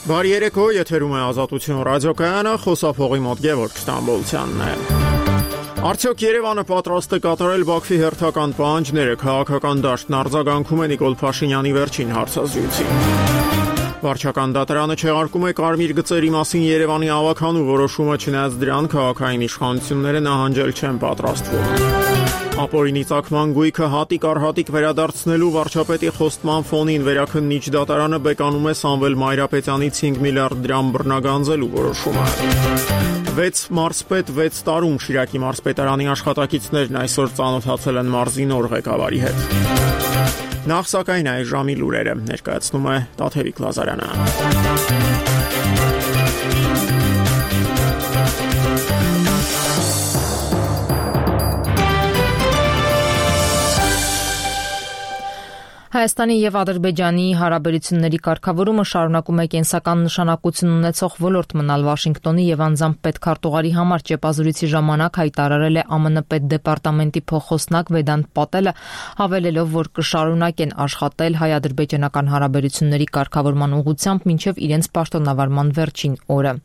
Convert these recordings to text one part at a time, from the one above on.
Բարի երեկո, եթերում է Ազատություն ռադիոկայանը, խոսափողի մոտ Գևորգ Ստամբոլցյանն է։ Արդյոք Երևանը պատրաստ է կատարել Բաքվի հերթական պահանջները, քաղաքական դաշտն արձագանքում է Նիկոլ Փաշինյանի վերջին հարցազրույցին։ Վարչական դատարանը չեղարկում է կարմիր գծերի մասին Երևանի ավականու որոշումը, չնայած դրան քաղաքային իշխանությունները նահանջել չեն պատրաստվում։ Ապօրինի ծագման գույքը հատիկ առ հատիկ վերադարձնելու վարչապետի խոստման ֆոնին վերաքննիչ դատարանը բեկանում է Սամվել Մայրապետյանից 5 միլիարդ դրամ բռնագանձելու որոշումը։ 6 մարզպետ 6 տարում Շիրակի մարզպետարանի աշխատակիցներն այսօր ծանոթացել են մարզի նոր ղեկավարի հետ։ Նախ սակայն այս ժամի լուրերը ներկայացնում է Տաթևիկ Լազարյանը։ Հայաստանի եւ Ադրբեջանի հարաբերությունների կարգավորումը շարունակում է կենսական նշանակություն ունեցող ոլորտ մնալ Վաշինգտոնի եւ անձամբ պետքարտուղարի համար ճեպազրույցի ժամանակ հայտարարել է ԱՄՆ պետդեպարտամենտի փոխխոսնակ Վեդանտ Պատելը, հավելելով, որ կշարունակեն աշխատել հայ-ադրբեջանական հարաբերությունների կարգավորման ուղղությամբ մինչեւ իրենց պաշտոնավարման վերջին օրը։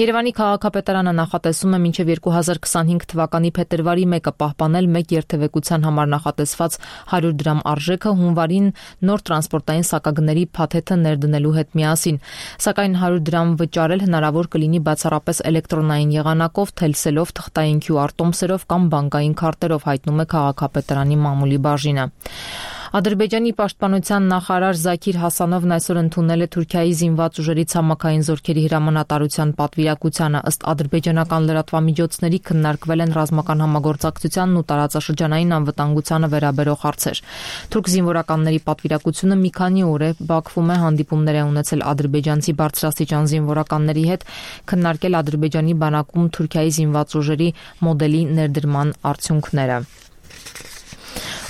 Երևանի քաղաքապետարանը նախատեսում է մինչեւ 2025 թվականի փետրվարի 1-ը պահպանել մեկ երթևեկության համար նախատեսված 100 դրամ արժեքը հունվարին նոր տրանսպորտային սակագների փաթեթը ներդնելու հետ միասին, սակայն 100 դրամ վճարել հնարավոր կլինի բացառապես էլեկտրոնային եղանակով, թելսելով, թղթային QR տոմսերով կամ բանկային քարտերով, հայտնում է քաղաքապետարանի մամուլի բաժինը։ Ադրբեջանի պաշտպանության նախարար Զաքիր Հասանովն այսօր ընդունել է Թուրքիայի զինված ուժերի ցամաքային զորքերի հրամանատարության պատվիրակությանը, ըստ ադրբեջանական լրատվամիջոցների քննարկվել են ռազմական համագործակցությանն ու տարածաշրջանային անվտանգությանը վերաբերող հարցեր։ Թուրք զինվորականների պատվիրակությունը մի քանի օր է Բաքվում է հանդիպումներ է ունեցել ադրբեջանցի բարձրաստիճան զինվորականների հետ, քննարկել Ադրբեջանի բանակում Թուրքիայի զինված ուժերի մոդելի ներդրման արդյունքները։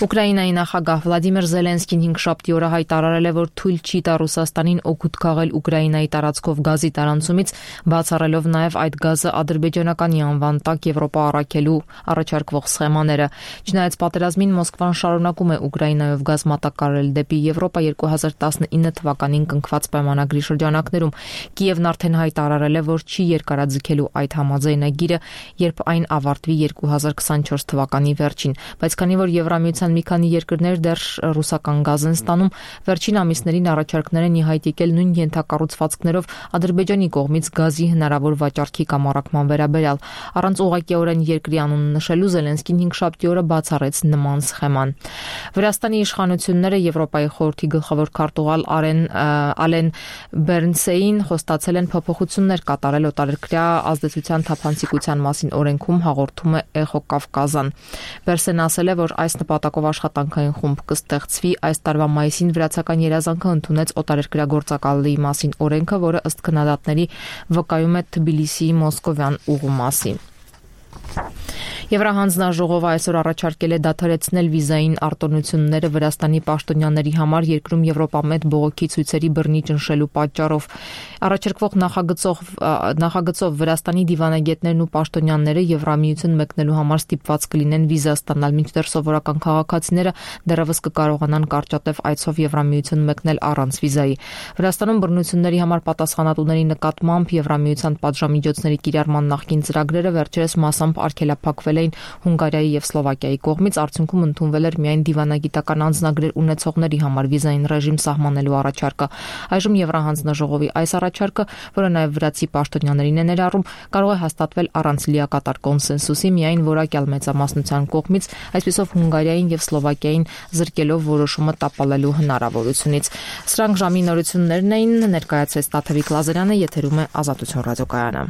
Ուկրաինայի նախագահ Վլադիմիր Զելենսկին հինգշաբթի օրը հայտարարել է, որ թույլ չի տա Ռուսաստանին օգուտ քաղել Ուկրաինայի տարածքով գազի տարանցումից, բացառելով նաև այդ գազը ադրբեջանականի անվան տակ Եվրոպա առաքելու առաջարկվող սխեմաները։ Չնայած պատերազմին Մոսկվան շարունակում է Ուկրաինայով գազ մատակարարել դեպի Եվրոպա 2019 թվականին կնքված պայմանագրի շրջանակներում։ Կիևն արդեն հայտարարել է, որ չի երկարաձգելու այդ համաձայնագիրը, երբ այն ավարտվի 2024 թվականի վերջին, բայց քանի որ Եվրամիության մի քանի երկրներ դեռ ռուսական գազ են ստանում, վերջին ամիսներին առաջարկներ են ի հայտ եկել նույն ենթակառուցվածքներով Ադրբեջանի կողմից գազի հնարավոր վաճառքի կամ առաքման վերաբերյալ։ Առանց ուղղակիորեն երկրի անունը նշելու Զելենսկին հինգշաբթի օրը բացառեց նման սխեման։ Վրաստանի իշխանությունները Եվրոպայի խորհրդի գլխավոր քարտուղար Ալեն Բերնսեին խոստացել են փոփոխություններ կատարել օտարերկրյա ազդեցության թափանցիկության մասին օրենքում, հաղորդում է Էխո Կավկազան։ Բերսեն ասել է, որ այս նպատակով աշխատանքային խումբ կստեղծվի։ Այս տարվա մայիսին վրացական երազանքը ընդունեց օտարերկրյա գործակալի մասին օրենքը, որը ըստ քննադատների վկայում է Թբիլիսիի մոսկովյան ուղու մասին։ Եվրահանձնաժողովը այսօր առաջարկել է դադարեցնել վիզային արտոնությունները Վրաստանի պաշտոնյաների համար երկրում Եվրոպամետ բողոքի ցույցերի բռնի ճնշելու պատճառով։ Առաջարկվող նախագծով Վրաստանի դիվանագետներն ու պաշտոնյաները Եվրամիություն մեկնելու համար ստիպված կլինեն վիզա ստանալ, մինչդեռ սովորական քաղաքացիները դեռևս կկարողանան կարճատև այցով Եվրամիություն մեկնել առանց վիզայի։ Վրաստանում բռնությունների համար պատասխանատուների նկատմամբ Եվրամիության պատժամիջոցների կիրառման նախկին ծրագրերը վերջերս մասամբ արգելափակվել էին Հունգարիայի եւ Սլովակիայի կողմից, արդյունքում ընդունվել էր միայն դիվանագիտական անձնագրեր ունեցողների համար վիզային ռեժիմ սահմանելու առաջարկը։ Այժմ Եվրահանձնաժողովի այս առաջարկը, որը նաեւ վրացի պաշտոնյաներին է ներառում, կարող է հաստատվել առանց լիակատար կոնսենսուսի, միայն որակյալ մեծամասնության կողմից, այսպիսով Հունգարիային եւ Սլովակիային զրկելով որոշումը տապալելու հնարավորությունից։ Սրանք ժամի նորություններն էին, ներկայացրեց Տաթևիկ Լազարյանը, եթերում է Ազատություն ռադիոկայանը։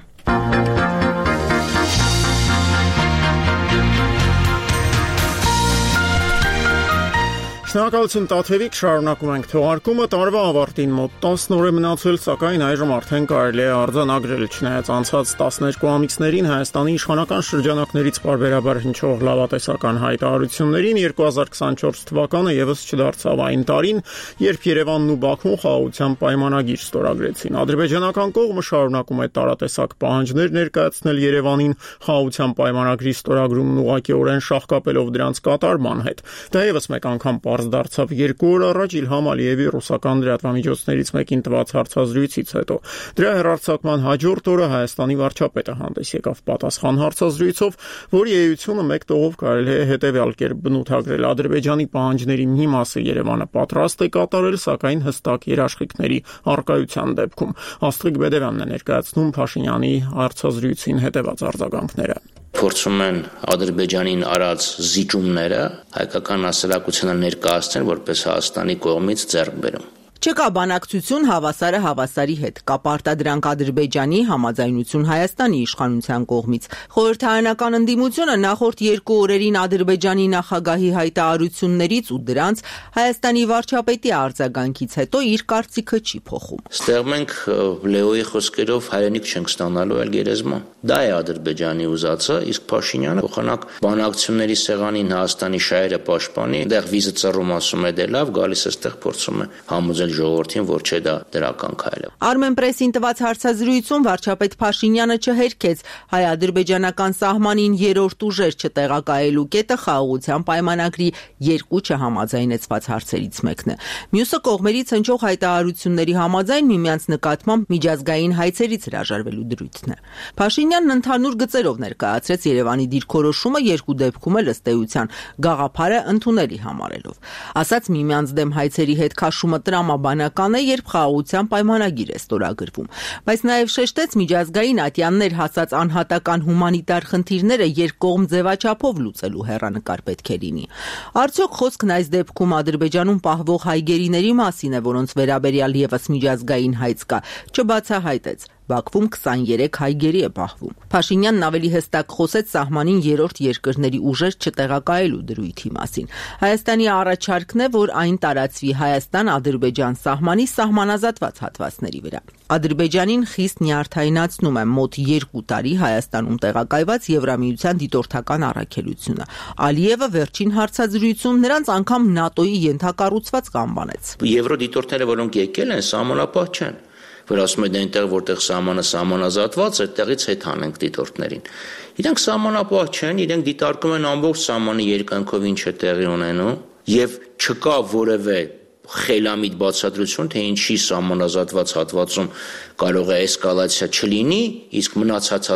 Շնորհակալություն Տաթևիկ, շարունակում ենք թողարկումը, տարվա ավարտին մոտ 10 օր է մնացել, սակայն այժմ արդեն կարելի է արձանագրել, չնայած անցած 12 ամիսներին Հայաստանի իշխանական շրջանակներից պարբերաբար հնչող լավատեսական հայտարարություններին 2024 թվականը եւս չդարձավ այն տարին, երբ Երևանն ու Բաքուն խաղաղության պայմանագիր ստորագրեցին։ Ադրբեջանական կողմը շարունակում է տարատեսակ պահանջներ ներկայացնել Երևանին խաղաղության պայմանագրի ստորագրումն ուղղակիորեն շահկապելով դրանց կատարման հետ։ Դա եւս մեկ անգամ պարզ դարձավ 2 օր առաջ Իլհամ Ալիևի ռուսական լրատվամիջոցներից մեկին տված հարցազրույցից հետո։ Դրա հեռարձակման հաջորդ օրը Հայաստանի վարչապետը հանդես եկավ պատասխան հարցազրույցով, որի էությունը մեկ տողով կարելի է հետևյալ կերպ բնութագրել. Ադրբեջանի պահանջների մի մասը Երևանը պատրաստ է կատարել, սակայն հստակ երաշխիքների առկայության դեպքում։ Աստղիկ Բեդևյանն է ներկայացնում Փաշինյանի հարցազրույցին հետևած արձագանքները։ Փորձում են Ադրբեջանին արած զիջումները հայկական հասարակությանը ներկայացնել որպես Հայաստանի կողմից ձեռքբերում։ Չկա բանակցություն հավասարը հավասարի հետ, կա պարտադրանք Ադրբեջանի, համաձայնություն Հայաստանի իշխանության կողմից։ Խորհրդարանական ընդդիմությունը նախորդ 2 օրերին Ադրբեջանի նախագահի հայտարարություններից ու դրանց Հայաստանի վարչապետի արձագանքից հետո իր կարծիքը չի փոխում։ Ստեղ մենք Լեոյի խոսքերով հայրենիք չենք ստանալու այլ գերեզման։ Դա է Ադրբեջանի ուզածը, իսկ Փաշինյանը փոխանակ բանակցությունների սեղանին Հայաստանի շահերը պաշտպանի, այնտեղ վիզը ծռում ասում է դե լավ, գալիս է ստեղ փորձում է համոզել ժողովրդին, որ չէ դա դրական քայլ է։ Արմենպրեսին տված հարցազրույցում վարչապետ Փաշինյանը չհերքեց հայ-ադրբեջանական սահմանին երրորդ ուժեր չտեղակայելու կետը խաղաղության պայմանագրի 2 չհամաձայնեցված հարցերից մեկն է։ Մյուսը կողմերից հնչող հայտարարությունների համաձայն միմյանց նկատմամբ միջազգային հայցերից հրաժարվելու դրույթն է։ Փաշինյանն ընդհանուր գծերով ներկայացրեց Երևանի դիրքորոշումը 2 դեպքում էլ ըստ էության գաղափարը ընդունելի համարելով։ Ասաց միմյանց դեմ հայցերի հետ քաշումը տրամաբանական է, երբ խաղաղության պայմանագիր է ստորագրվում, բայց նաև շեշտեց միջազգային ատյաններ հասած անհատական հումանիտար խնդիրները երկկողմ ձևաչափով լուծելու հեռանկար պետք է լինի։ Արդյոք խոսքն այս դեպքում Ադրբեջանում պահվող հայ գերիների մասին է, որոնց վերաբերյալ եւս միջազգային հայց կա, չբացահայտեց։ Բաքվում 23 հայ գերի է պահվում։ Փաշինյանն ավելի հստակ խոսեց սահմանին երրորդ երկրների ուժեր չտեղակայելու դրույթի մասին։ Հայաստանի առաջարկն է, որ այն տարածվի Հայաստան-Ադրբեջան սահմանի սահմանազատված հատվածների վրա։ Ադրբեջանին խիստ նյարդայնացնում է մոտ 2 տարի Հայաստանում տեղակայված Եվրամիության դիտորդական առաքելությունը։ Ալիևը վերջին հարցազրույցում նրանց անգամ ՆԱՏՕ-ի ենթակառուցվածք անվանեց։ Եվրոդիտորդները, որոնք եկել են, սահմանապահ չեն, որ ասում են այնտեղ որտեղ սահմանը սահմանազատված է, այդտեղից հետ հանենք դիտորդներին։ Իրենք սահմանապահ չեն, իրենք դիտարկում են ամբողջ սահմանի երկայնքով ինչ է տեղի ունենում, եւ չկա որևէ խելամիտ բացատրություն, թե ինչի սահմանազատված հատվածում կարող է էսկալացիա չլինի, իսկ մնացած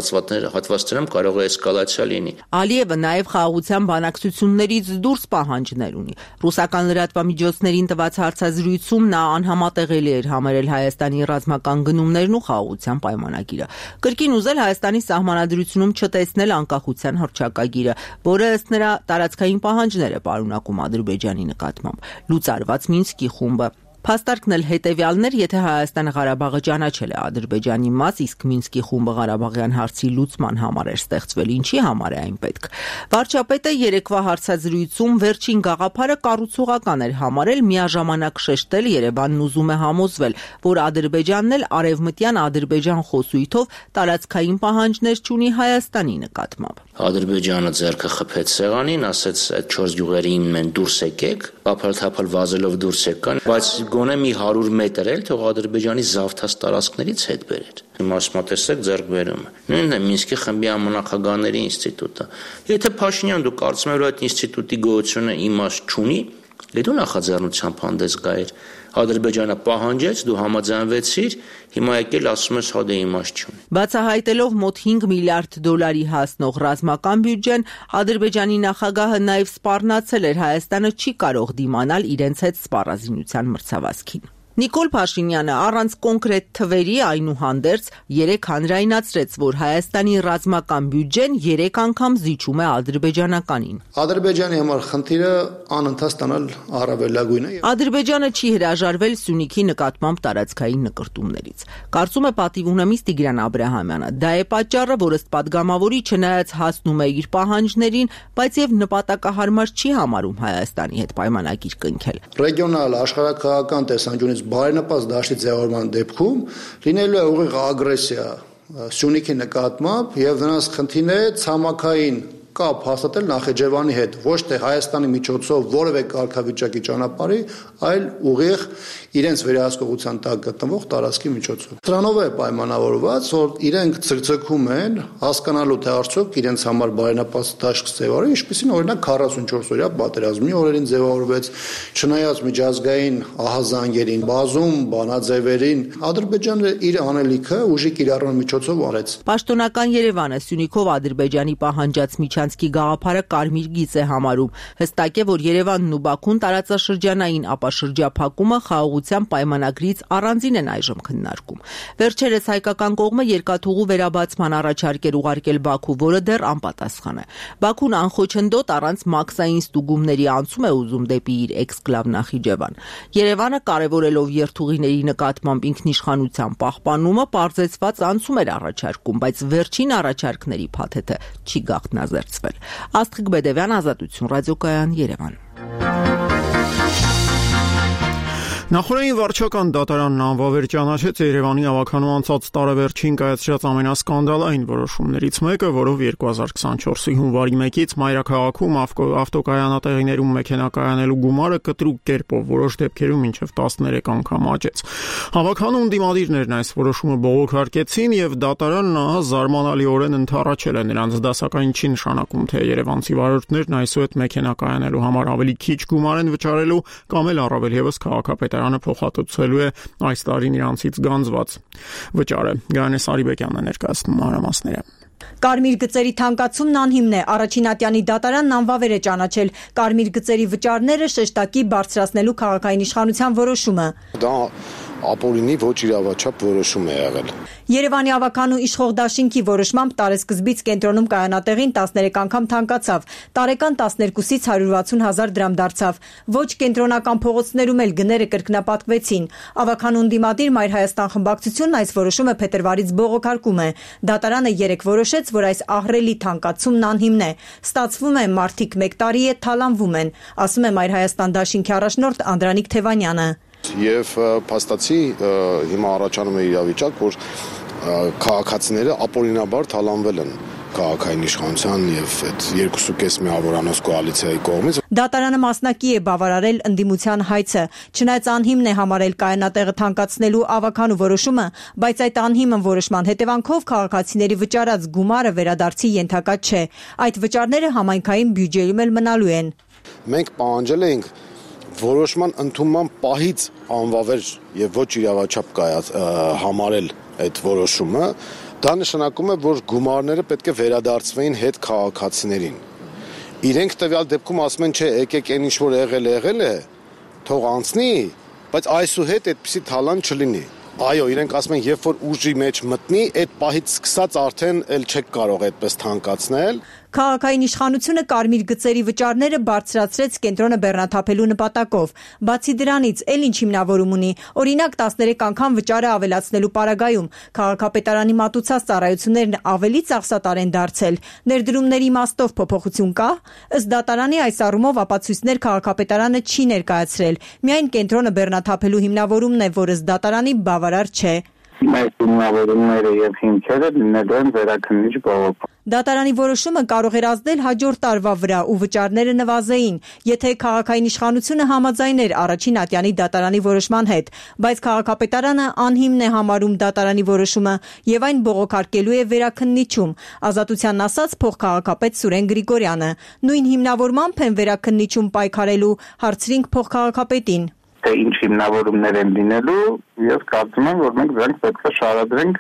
հատվածներում կարող է էսկալացիա լինի։ Ալիևը նաև խաղաղության բանակցություններից դուրս պահանջներ ունի։ Ռուսական լրատվամիջոցներին տված հարցազրույցում նա անհամատեղելի էր համարել Հայաստանի ռազմական գնումներն ու խաղաղության պայմանագիրը։ Կրկին ուզել Հայաստանի սահմանադրությունում չտեսնել անկախության հռչակագիրը, որը ըստ նրա տարածքային պահանջներ է պարունակում Ադրբեջանի նկատմամբ։ Լուծարված Մինսկի խումբը Փաստարկն էլ հետևյալն էր, եթե Հայաստանը Ղարաբաղը ճանաչել է Ադրբեջանի մաս, իսկ Մինսկի խումբը Ղարաբաղյան հարցի լուծման համար էր ստեղծվել, ինչի համար է այն պետք։ Վարչապետը երեկվա հարցազրույցում վերջին գաղափարը կառուցողական էր համարել, միաժամանակ շեշտել Երևանն ուզում է համոզվել, որ Ադրբեջանն էլ արևմտյան Ադրբեջան խոսույթով տարածքային պահանջներ չունի Հայաստանի նկատմամբ։ Ադրբեջանը ձեռքը խփեց սեղանին, ասեց այդ 4 գյուղերին մեն դուրս եկեք, ապալ-թափալ վազելով դուրս եկան, բայց գոնե մի 100 մետր էլ թող Ադրբեջանի զավթած տարածքներից հետ բերեր։ Հիմա ասում ձեռք բերում։ Նույնն է Մինսկի խմբի ամենախագահների ինստիտուտը։ Եթե Փաշինյան դու կարծում ես, որ այդ ինստիտուտի գոյությունը իմաստ չունի, դու նախաձեռնությամբ հանդես գայիր։ Ադրբեջանը պահանջեց, դու համաձայնվեցիր, հիմա եկել ասում ես հա դե իմաստ չունի։ Բացահայտելով մոտ 5 միլիարդ դոլարի հասնող ռազմական բյուջեն, Ադրբեջանի նախագահը նաև սպառնացել էր Հայաստանը չի կարող դիմանալ իրենց հետ սպառազինության մրցավազքին։ Նիկոլ Փաշինյանը առանց կոնկրետ թվերի այնուհանդերձ երեք հանրայնացրեց, որ Հայաստանի ռազմական բյուջեն 3 անգամ զիջում է ադրբեջանականին։ Ադրբեջանի համար խնդիրը անընդհատ ստանալ առավելագույնը։ Ադրբեջանը չի հրաժարվել Սյունիքի նկատմամբ տարածքային նկրտումներից։ Կարծում է պատիվ ունեմից Տիգրան Աբրահամյանը։ Դա է պատճառը, որ ըստ падգամավորի չնայած հասնում է իր պահանջներին, բայց եւ նպատակահարմար չի համարում Հայաստանի հետ պայմանագիր կնքել։ Ռեգիոնալ աշխարհակահաղական տեսանկյունից բարենպաստ դաշտի ձևավորման դեպքում լինելու է ուղիղ ագրեսիա Սյունիքի նկատմամբ եւ նրանց խնդիրները ցամաքային կապ հաստատել Նախիջևանի հետ, ոչ թե Հայաստանի միջոցով որևէ կարգավիճակի ճանապարհի, այլ ուղիղ իրենց վերահսկողության տակ գտնվող տարածքի միջոցով։ Դրանով է պայմանավորված, որ իրենք ցկցկում են հասկանալու թե արդյոք իրենց համար բարենպաստ դաշտ ձևավորի, ինչպեսին օրինակ 44-օրյա պատերազմի օրերին ձևավորվեց, չնայած միջազգային ահազանգերին, բազում բանաձևերին, Ադրբեջանը իր անելիքը ուժի կիրառման միջոցով արեց։ Պաշտոնական Երևանը Սյունիքով Ադրբեջանի պահանջած միջանցքի գաղափարը կարմիր գիծ է համարում։ Հստակ է, որ Երևանն ու Բաքուն տարածաշրջանային ապաշրջափակումը խաղաղության պայմանագրից առանձին են այժմ քննարկում։ Վերջերս հայկական կողմը երկաթուղու վերաբացման առաջարկ էր ուղարկել Բաքու, որը դեռ անպատասխան է։ Բաքուն անխոչնդոտ առանց մաքսային ստուգումների անցում է ուզում դեպի իր էքսկլավ Նախիջևան։ Երևանը կարևորելով երթուղիների նկատմամբ ինքնիշխանության պահպանումը պարզեցված անցում էր առաջարկում, բայց վերջին առաջարկների փաթեթը չի գաղտնազերծվել։ Աստղիկ Բեդևյան, Ազատություն, ռադիոկայան, Երևան։ Նախորդին վարչական դատարանն անվավեր ճանաչեց Երևանի ավականու անցած տարեվերջին կայացրած ամենասկանդալային որոշումներից մեկը, որով 2024-ի հունվարի 1-ից մայրաքաղաքում ավտոկայանատեղիներում մեքենա գումարը կտրուկ կերպով որոշ դեպքերում մինչև 13 անգամ աճեց։ Ավականու ընդդիմադիրներն այս որոշումը բողոքարկեցին եւ դատարանն զարմանալիորեն ընդառաջել է նրանց դասակային չի նշանակում, թե երևանցի վարորդներն այսուհետ մեքենա կայանելու համար ավելի քիչ գումար են վճարելու կամ էլ առավել եւս քաղաքապետարանը փոխհատուցելու է այս տարին իրանցից գանձված վճարը։ Գայանե Սարիբեկյանն է ներկայացնում մանրամասները։ Կարմիր գծերի թանկացումն անհիմն է, առաջինատյանի դատարանն անվավեր է ճանաչել կարմիր գծերի վճարները շեշտակի բարձրացնելու քաղաքային իշխանության որոշումը։ Դա ապօրինի ոչ իրավաչափ որոշում է եղել։ Երևանի ավականու իշխող դաշինքի որոշմամբ տարեսկզբից կենտրոնում կայանատեղին 13 անգամ թանկացավ, տարեկան 12-ից 160,000 դրամ դարձավ։ Ոչ կենտրոնական փողոցներում էլ գները կրկնապատկվեցին։ Ավականու ընդդիմադիր Մայր Հայաստան խմբակցությունն այս որոշումը փետրվարից բողոքարկում է։ Դատարանը երեկ որոշեց, որ այս ահռելի թանկացումն անհիմն է։ Ստացվում է, մարդիկ 1 տարի է թալանվում են, ասում է Մայր Հայաստան դաշինքի առաջնորդ Անդրանիկ Թևանյանը։ Եվ փաստացի հիմա առաջանում է իրավիճակ, որ քաղաքացիները ապօրինաբար թալանվել են քաղաքային իշխանության եւ այդ 2.5 միավորանոց կոալիցիայի կողմից։ Դատարանը մասնակի է բավարարել ընդդիմության հայցը, չնայած անհիմն է համարել կայանատեղը թանկացնելու ավականու որոշումը, բայց այդ անհիմն որոշման հետևանքով քաղաքացիների վճարած գումարը վերադարձի ենթակա չէ։ Այդ վճարները համայնքային բյուջեում էլ մնալու են։ Մենք պահանջել էինք որոշման ընդունման պահից անվավեր եւ ոչ իրավաչափ համարել այդ որոշումը, դա նշանակում է, որ գումարները պետք է վերադարձվեին հետ քաղաքացիներին։ Իրենք տվյալ դեպքում ասում են, չէ, եկեք այն ինչ որ եղել է, թող անցնի, բայց այսուհետ այդպիսի թալան չլինի։ Այո, իրենք ասում են, երբ որ ուժի մեջ մտնի, այդ պահից սկսած արդեն էլ չեք կարող այդպես թանկացնել։ Քաղաքային իշխանությունը կարմիր գծերի վճարները բարձրացրեց կենտրոնը բեռնաթափելու նպատակով։ Բացի դրանից, էլ ինչ հիմնավորում ունի, օրինակ 13 անգամ վճարը ավելացնելու պարագայում քաղաքապետարանի մատուցած ծառայություններն ավելի ծախսատար են դարձել։ Ներդրումների իմաստով փոփոխություն կա։ Ըստ դատարանի այս առումով ապացույցներ քաղաքապետարանը չի ներկայացրել։ Միայն կենտրոնը բեռնաթափելու հիմնավորումն է, որը ըստ դատարանի բավարար չէ։ Մեր հիմնավորումները եւ հիմքերը լինելու են վերաքննիչ բողոքում։ Դատարանի որոշումը կարող էր ազդել հաջորդ տարվա վրա ու վճարները նվազեին, եթե քաղաքային իշխանությունը համաձայներ առաջին ատյանի դատարանի որոշման հետ, բայց քաղաքապետարանը անհիմն է համարում դատարանի որոշումը եւ այն բողոքարկելու է վերաքննիչում։ Ազատությանն ասաց փոխքաղաքապետ Սուրեն Գրիգորյանը։ Նույն հիմնավորմամբ են վերաքննիչում պայքարելու, հարցրինք փոխքաղաքապետին։ Թե ինչ հիմնավորումներ են լինելու, ես կարծում եմ, որ մենք դրանք պետք է շարադրենք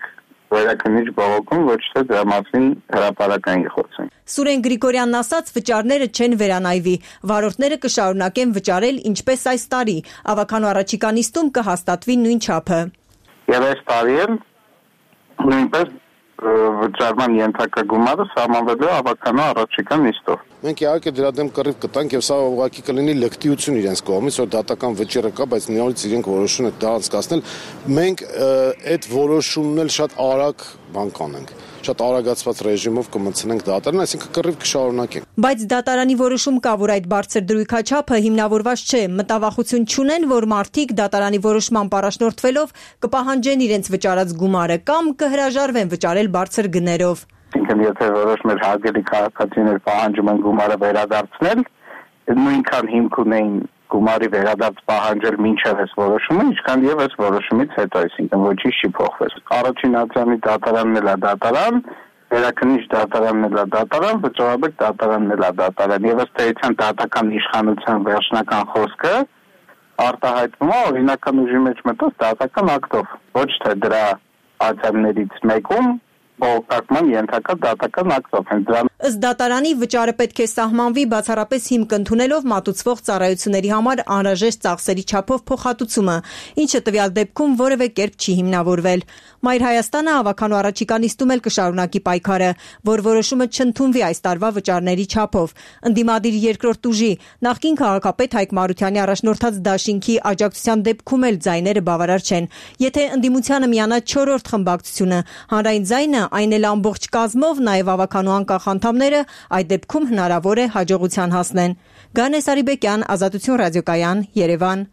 վերաքննիչ բողոքում, ոչ թե դրա մասին հրապարակային խոսենք։ Սուրեն Գրիգորյանն ասաց, վճարները չեն վերանայվի, վարորդները կշարունակեն վճարել ինչպես այս տարի, ավականու առաջիկա նիստում կհաստատվի նույն չափը։ Եվ այս տարի էլ նույնպես վճարման ենթակա գումարը սահմանվելու ավականու առաջիկա նիստով։ Մենք իհարկե դրա դեմ կռիվ կտանք եւ սա ուղղակի կլինի լկտիություն իրենց կողմից, որ դատական վճիռը կա, բայց նորից իրենք որոշում են դա անցկացնել։ Մենք այդ որոշումն էլ շատ արագ բան կանենք, շատ արագացված ռեժիմով կմցնենք դատարան, այսինքն կռիվ կշարունակենք։ Բայց դատարանի որոշում կա, որ այդ բարձր դրույքաչափը հիմնավորված չէ, մտավախություն չունեն, որ մարդիկ դատարանի որոշմամբ առաջնորդվելով կպահանջեն իրենց վճարած գումարը կամ կհրաժարվեն վճարել բարձր գներով։ Ինքն եթե որոշ մեր հարգելի քաղաքացիներ պահանջում են գումարը վերադարձնել, նույնքան հիմք ունեին գումարի վերադարձ պահանջել մինչև այս որոշումը, ինչքան եւ այս որոշումից հետո, այսինքն ոչինչ չի փոխվել։ Առաջին ատյանի դատարանն էլ է դատարան, վերաքննիչ դատարանն էլ է դատարան, վճռաբեկ դատարանն էլ է դատարան, եւ ըստ էության դատական իշխանության վերջնական խոսքը արտահայտվում է օրինական ուժի մեջ մտած դատական ակտով, ոչ թե դրա ատյաններից մեկում բողոքարկման ենթակա դատական ակտով են դրան։ Ըստ դատարանի վճարը պետք է սահմանվի բացառապես հիմք ընդունելով մատուցվող ծառայությունների համար անհրաժեշտ ծախսերի չափով փոխհատուցումը, ինչը տվյալ դեպքում որևէ կերպ չի հիմնավորվել։ Մայր Հայաստանը ավականու առաջիկա նիստում էլ կշարունակի պայքարը, որ որոշումը չընդունվի այս տարվա վճարների չափով։ Ընդդիմադիր երկրորդ ուժի նախկին քաղաքապետ Հայկ Մարությանի առաջնորդած դաշինքի աջակցության դեպքում էլ ձայները բավարար չեն։ Եթե ընդդիմությանը միանա 4-րդ խմբակցությունը, հանրային ձայնը, այն էլ ամբողջ կազմով, նաև ավականու անկախ անդամները, այդ դեպքում հնարավոր է հաջողության հասնեն։ Գանե Սարիբեկյան, Ազատություն ռադիոկայան, Երևան։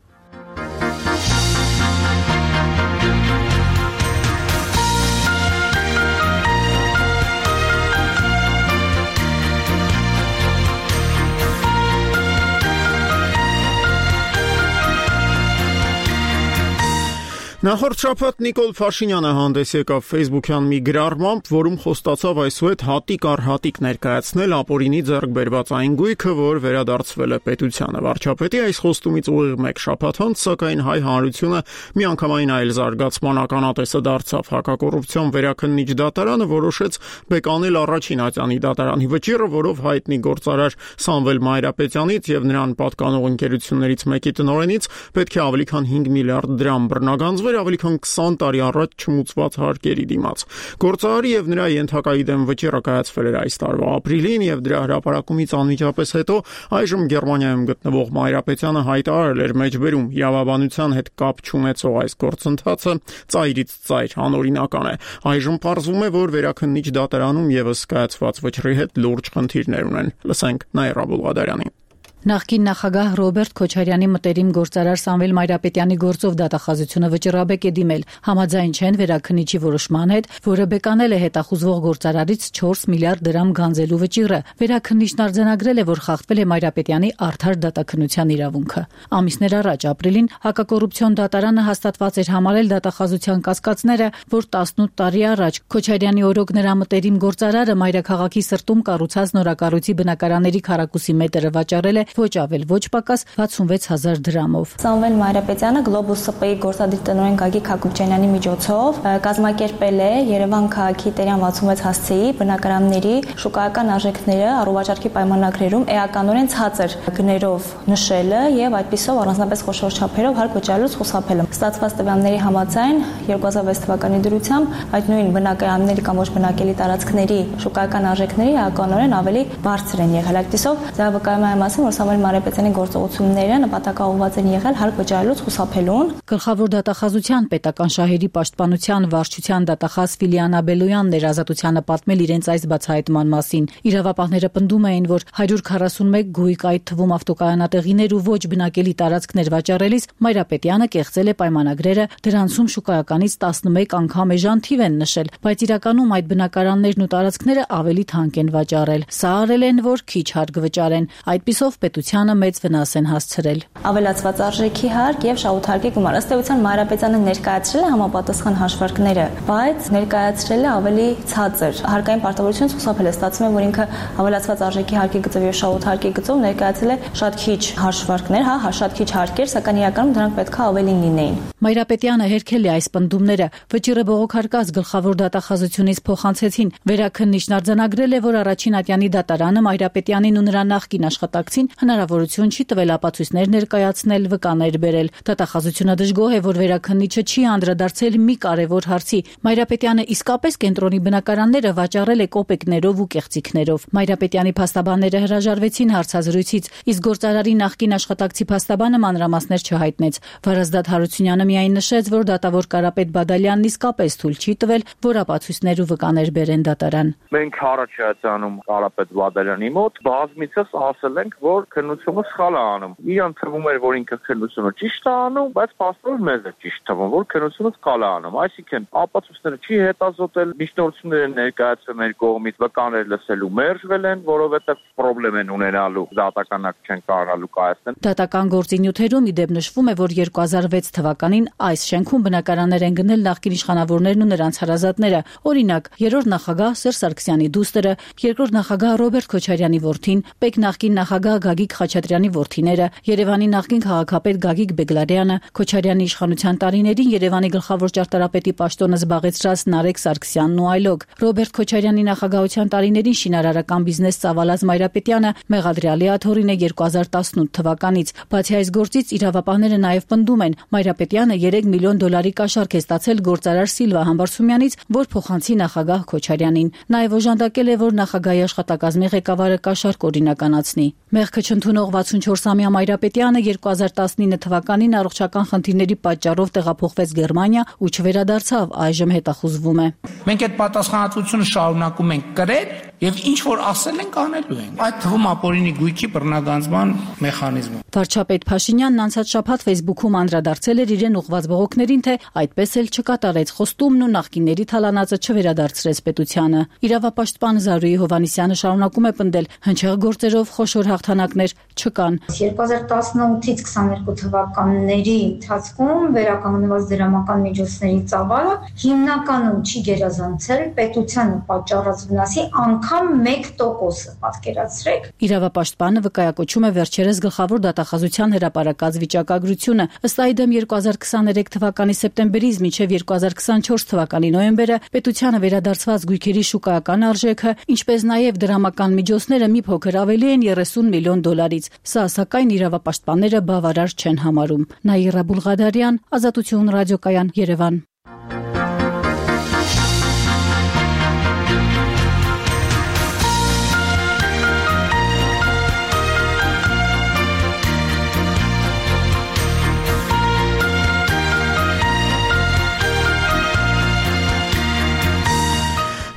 Նախորդ շաբաթ Նիկոլ Փաշինյանը հանդես եկավ Facebook-յան մի գրառմամբ, որում խոստացավ այսուհետ հատիկ առ հատիկ ներկայացնել ապօրինի ձեռք բերված այն գույքը, որ վերադարձվել է պետությանը։ Վարչապետի այս խոստումից ուղիղ մեկ շաբաթ անց, սակայն հայ հանրությունը միանգամայն այլ զարգացման ականատեսը դարձավ։ Հակակոռուպցիոն վերաքննիչ դատարանը որոշեց բեկանել առաջին ատյանի դատարանի վճիռը, որով հայտնի գործարար Սամվել Մայրապետյանից եւ նրան պատկանող ընկերություններից մեկի տնօրենից պետք է ավելի քան 5 միլիարդ դրամ բռնագանձվեր ավելի քան 20 տարի առաջ չմուծված հարկերի դիմաց։ Գործարարի եւ նրա ենթակայի դեմ վճիռը կայացվել էր այս տարվա ապրիլին եւ դրա հրապարակումից անմիջապես հետո այժմ Գերմանիայում գտնվող Մայրապետյանը հայտարարել էր մեջբերում իրավաբանության հետ կապ չունեցող այս գործընթացը ծայրից ծայր անօրինական է։ Այժմ պարզվում է, որ վերաքննիչ դատարանում եւս կայացված վճռի հետ լուրջ խնդիրներ ունեն։ Լսենք Նաիրա Բուլղադարյանին։ Նախկին նախագահ Ռոբերտ Քոչարյանի մտերիմ գործարար Սամվել Մայրապետյանի գործով դատախազությունը վճռաբեկ է դիմել։ Համաձայն չեն վերաքննիչի որոշման հետ, որը բեկանել է հետախուզվող գործարարից 4 միլիարդ դրամ գանձելու վճիռը։ Վերաքննիչն արձանագրել է, որ խախտվել է Մայրապետյանի արդար դատաքննության իրավունքը։ Ամիսներ առաջ ապրիլին հակակոռուպցիոն դատարանը հաստատված էր համարել դատախազության կասկածները, որ 18 տարի առաջ Քոչարյանի օրոք նրա մտերիմ գործարարը Մայրաքաղաքի սրտում կառուցած նորակառույցի բնակարանների քառակուսի մետրը վաճառել է ոչ ավել ոչ պակաս 66000 դրամով։ Սամվել Մայրապետյանը Globus ՍՊ-ի գործադիր տնօրեն Գագիկ Հակոբյանի միջոցով կազմակերպել է Երևան քաղաքի Տերյան 66 հասցեի բնակարանների շուկայական արժեքները առողջարքի պայմանագրերում էականորեն ցածր գներով նշելը եւ այդպիսով առանձնապես խոշոր չափերով հարկ վճարելուց խուսափելը։ Ստացված տվյալների համաձայն 2006 թվականի դրությամբ այդ նույն բնակարանների կամ ոչ բնակելի տարածքների շուկայական արժեքների էականորեն ավելի բարձր են եղել։ Այդպիսով դա վկայում է մասին, որ Սամվել Մայրապետյանի գործողությունները նպատակաուղղված են եղել հարկ վճարելուց խուսափելուն։ Գլխավոր դատախազության պետական շահերի պաշտպանության վարչության դատախազ Ֆիլիանա Բելոյանն էր Ազատությանը պատմել իրենց այս բացահայտման մասին։ Իրավապահները պնդում էին, որ 141 գույք, այդ թվում ավտոկայանատեղիներ ու ոչ բնակելի տարածքներ վաճառելիս Մայրապետյանը կեղծել է պայմանագրերը, դրանցում շուկայականից 11 անգամ էժան թիվ են նշել, բայց իրականում այդ բնակարաններն ու տարածքները ավելի թանկ են վաճառել։ Սա արել են, որ քիչ հարկ վճարեն։ Այդպիսով պետությանը մեծ վնաս են հասցրել։ Ավելացված արժեքի հարկ եւ շահութարկի գումար։ Ըստ էության Մայրապետյանը ներկայացրել է համապատասխան հաշվարկները, բայց ներկայացրել է ավելի ցածր։ Հարկային պարտավորությունից խուսափել է, ստացվում է, որ ինքը ավելացված արժեքի հարկի գծով եւ շահութարկի գծով ներկայացրել է շատ քիչ հաշվարկներ, շատ քիչ հարկեր, սակայն իրականում դրանք պետքա ավելին լինեին։ Մայրապետյանը հերքել է այս պնդումները։ Վճիռը բողոքարկած գլխավոր դատախազությունից փոխանցեցին։ Վերաքննիչն արձանագրել է, որ առաջին ատյանի դատարանը Մայրապետյանին ու նրա նախկին աշխատակցին հնարավորություն չի տվել ապացույցներ ներկայացնել, վկաներ բերել։ Դատախազությունը դժգոհ է, որ վերաքննիչը չի անդրադարձել մի կարևոր հարցի։ Մայրապետյանը իսկապես կենտրոնի բնակարանները վաճառել է կոպեկներով ու կեղծիքներով։ Մայրապետյանի փաստաբանները հրաժարվեցին հարցազրույցից, իսկ գործարարի նախկին աշխատակցի փաստաբանը մանրամասներ չհայտնեց։ Վարազդատ Հարությունյանը միայն նշեց, որ դատավոր Կարապետ Բադալյանն իսկապես թույլ չի տվել, որ ապացույցներ ու վկաներ բերեն դատարան։ Մենք առաջ անում Կարապետ Բադալյանի մոտ բազմիցս ասել ենք, որ քննությունը սխալ է անում։ Իրան թվում էր, որ ինքը քննությունը ճիշտ է անում, բայց փաստորեն մեզ է ճիշտ թվում, որ քննությունը սխալ է անում։ Այսինքն ապացույցները չի հետազոտել, միջնորդությունները ներկայացրել մեր կողմից, վկաներ լսելու մերժվել են, որովհետև խնդրեմ են ունենալու դատականակ չեն կարողանալու կայացնել։ Դատական գործի նյութերում ի դեպ նշվում է, որ 2006 թվականին այս շենքում բնակարաններ են գնել նախկին իշխանավորներն ու նրանց հարազատները։ Օրինակ, երրորդ նախագահ Սերժ Սարգսյանի դուստրը, երկրորդ նախագահ Ռոբերտ Քոչարյանի որդին, Պեկ նախկին նախագահ Գագիկ Խաչատրյանի որդիները, Երևանի նախկին քաղաքապետ Գագիկ Բեգլարյանը, Քոչարյանի իշխանության տարիներին Երևանի գլխավոր ճարտարապետի պաշտոնը զբաղեցրած Նարեկ Սարգսյանն ու այլոք։ Ռոբերտ Քոչարյանի նախագահության տարիներին շինարարական բիզնես ծավալած Մայրապետյանը մեղադրյալի աթոռին է 2018 թվականից։ Բացի այս գործից իրավապահները նաև պնդում են, Մայրապետյանը 3 միլիոն դոլարի կաշառք է ստացել գործարար Սիլվա Համբարձումյանից, որ փոխանցի նախագահ Քոչարյանին։ Նաև օժանդակել է, որ նախագահի աշխատակազմի ղեկավարը կաշառք օրինականացնի։ Մեղքը չընդունող 64-ամյա Մայրապետյանը 2019 թվականին առողջական խնդիրների պատճառով տեղափոխվեց Գերմանիա ու չվերադարձավ, այժմ հետախուզվում է։ Մենք այդ պատասխանատվությունը շարունակում ենք կրել եւ ինչ որ ասել ենք անելու ենք։ Այդ թվում ապօրինի գույքի բռնագանձման մեխանիզմը։ Վարչապետ Փաշինյանն անցած շաբաթ Facebook-ում անդրադարձել էր իրեն ուղղված բողոքներին, թե այդպես էլ չկատարեց խոստումն ու նախկինների թալանածը չվերադարձրեց պետությանը։ Իրավապաշտպան Զարուհի Հովհաննիսյանը շարունակում է պնդել, հնչեղ գործերով խոշոր հաղթանակներ չկան։ 2018-ից 22 թվականների ընթացքում վերականգնված դրամական միջոցների ծավալը հիմնականում չի գերազանցել պետությանը պատճառած վնասի անգամ 1%-ը, պատկերացրեք։ Իրավապաշտպանը վկայակոչում է վերջերս գլխավոր դատախազության հրապարակած վիճակագրությունը։ Ըստ այդմ 2023 թվականի սեպտեմբերից մինչև 2024 թվականի նոյեմբերը պետությանը վերադարձված գույքերի շուկայական արժեքը, ինչպես նաև դրամական միջոցները մի փոքր ավելի են 30 միլիոն դոլարից։ Սա սակայն իրավապաշտպանները բավարար չեն համարում։ Նաիրա Բուլղադարյան, Ազատություն ռադիոկայան, Երևան։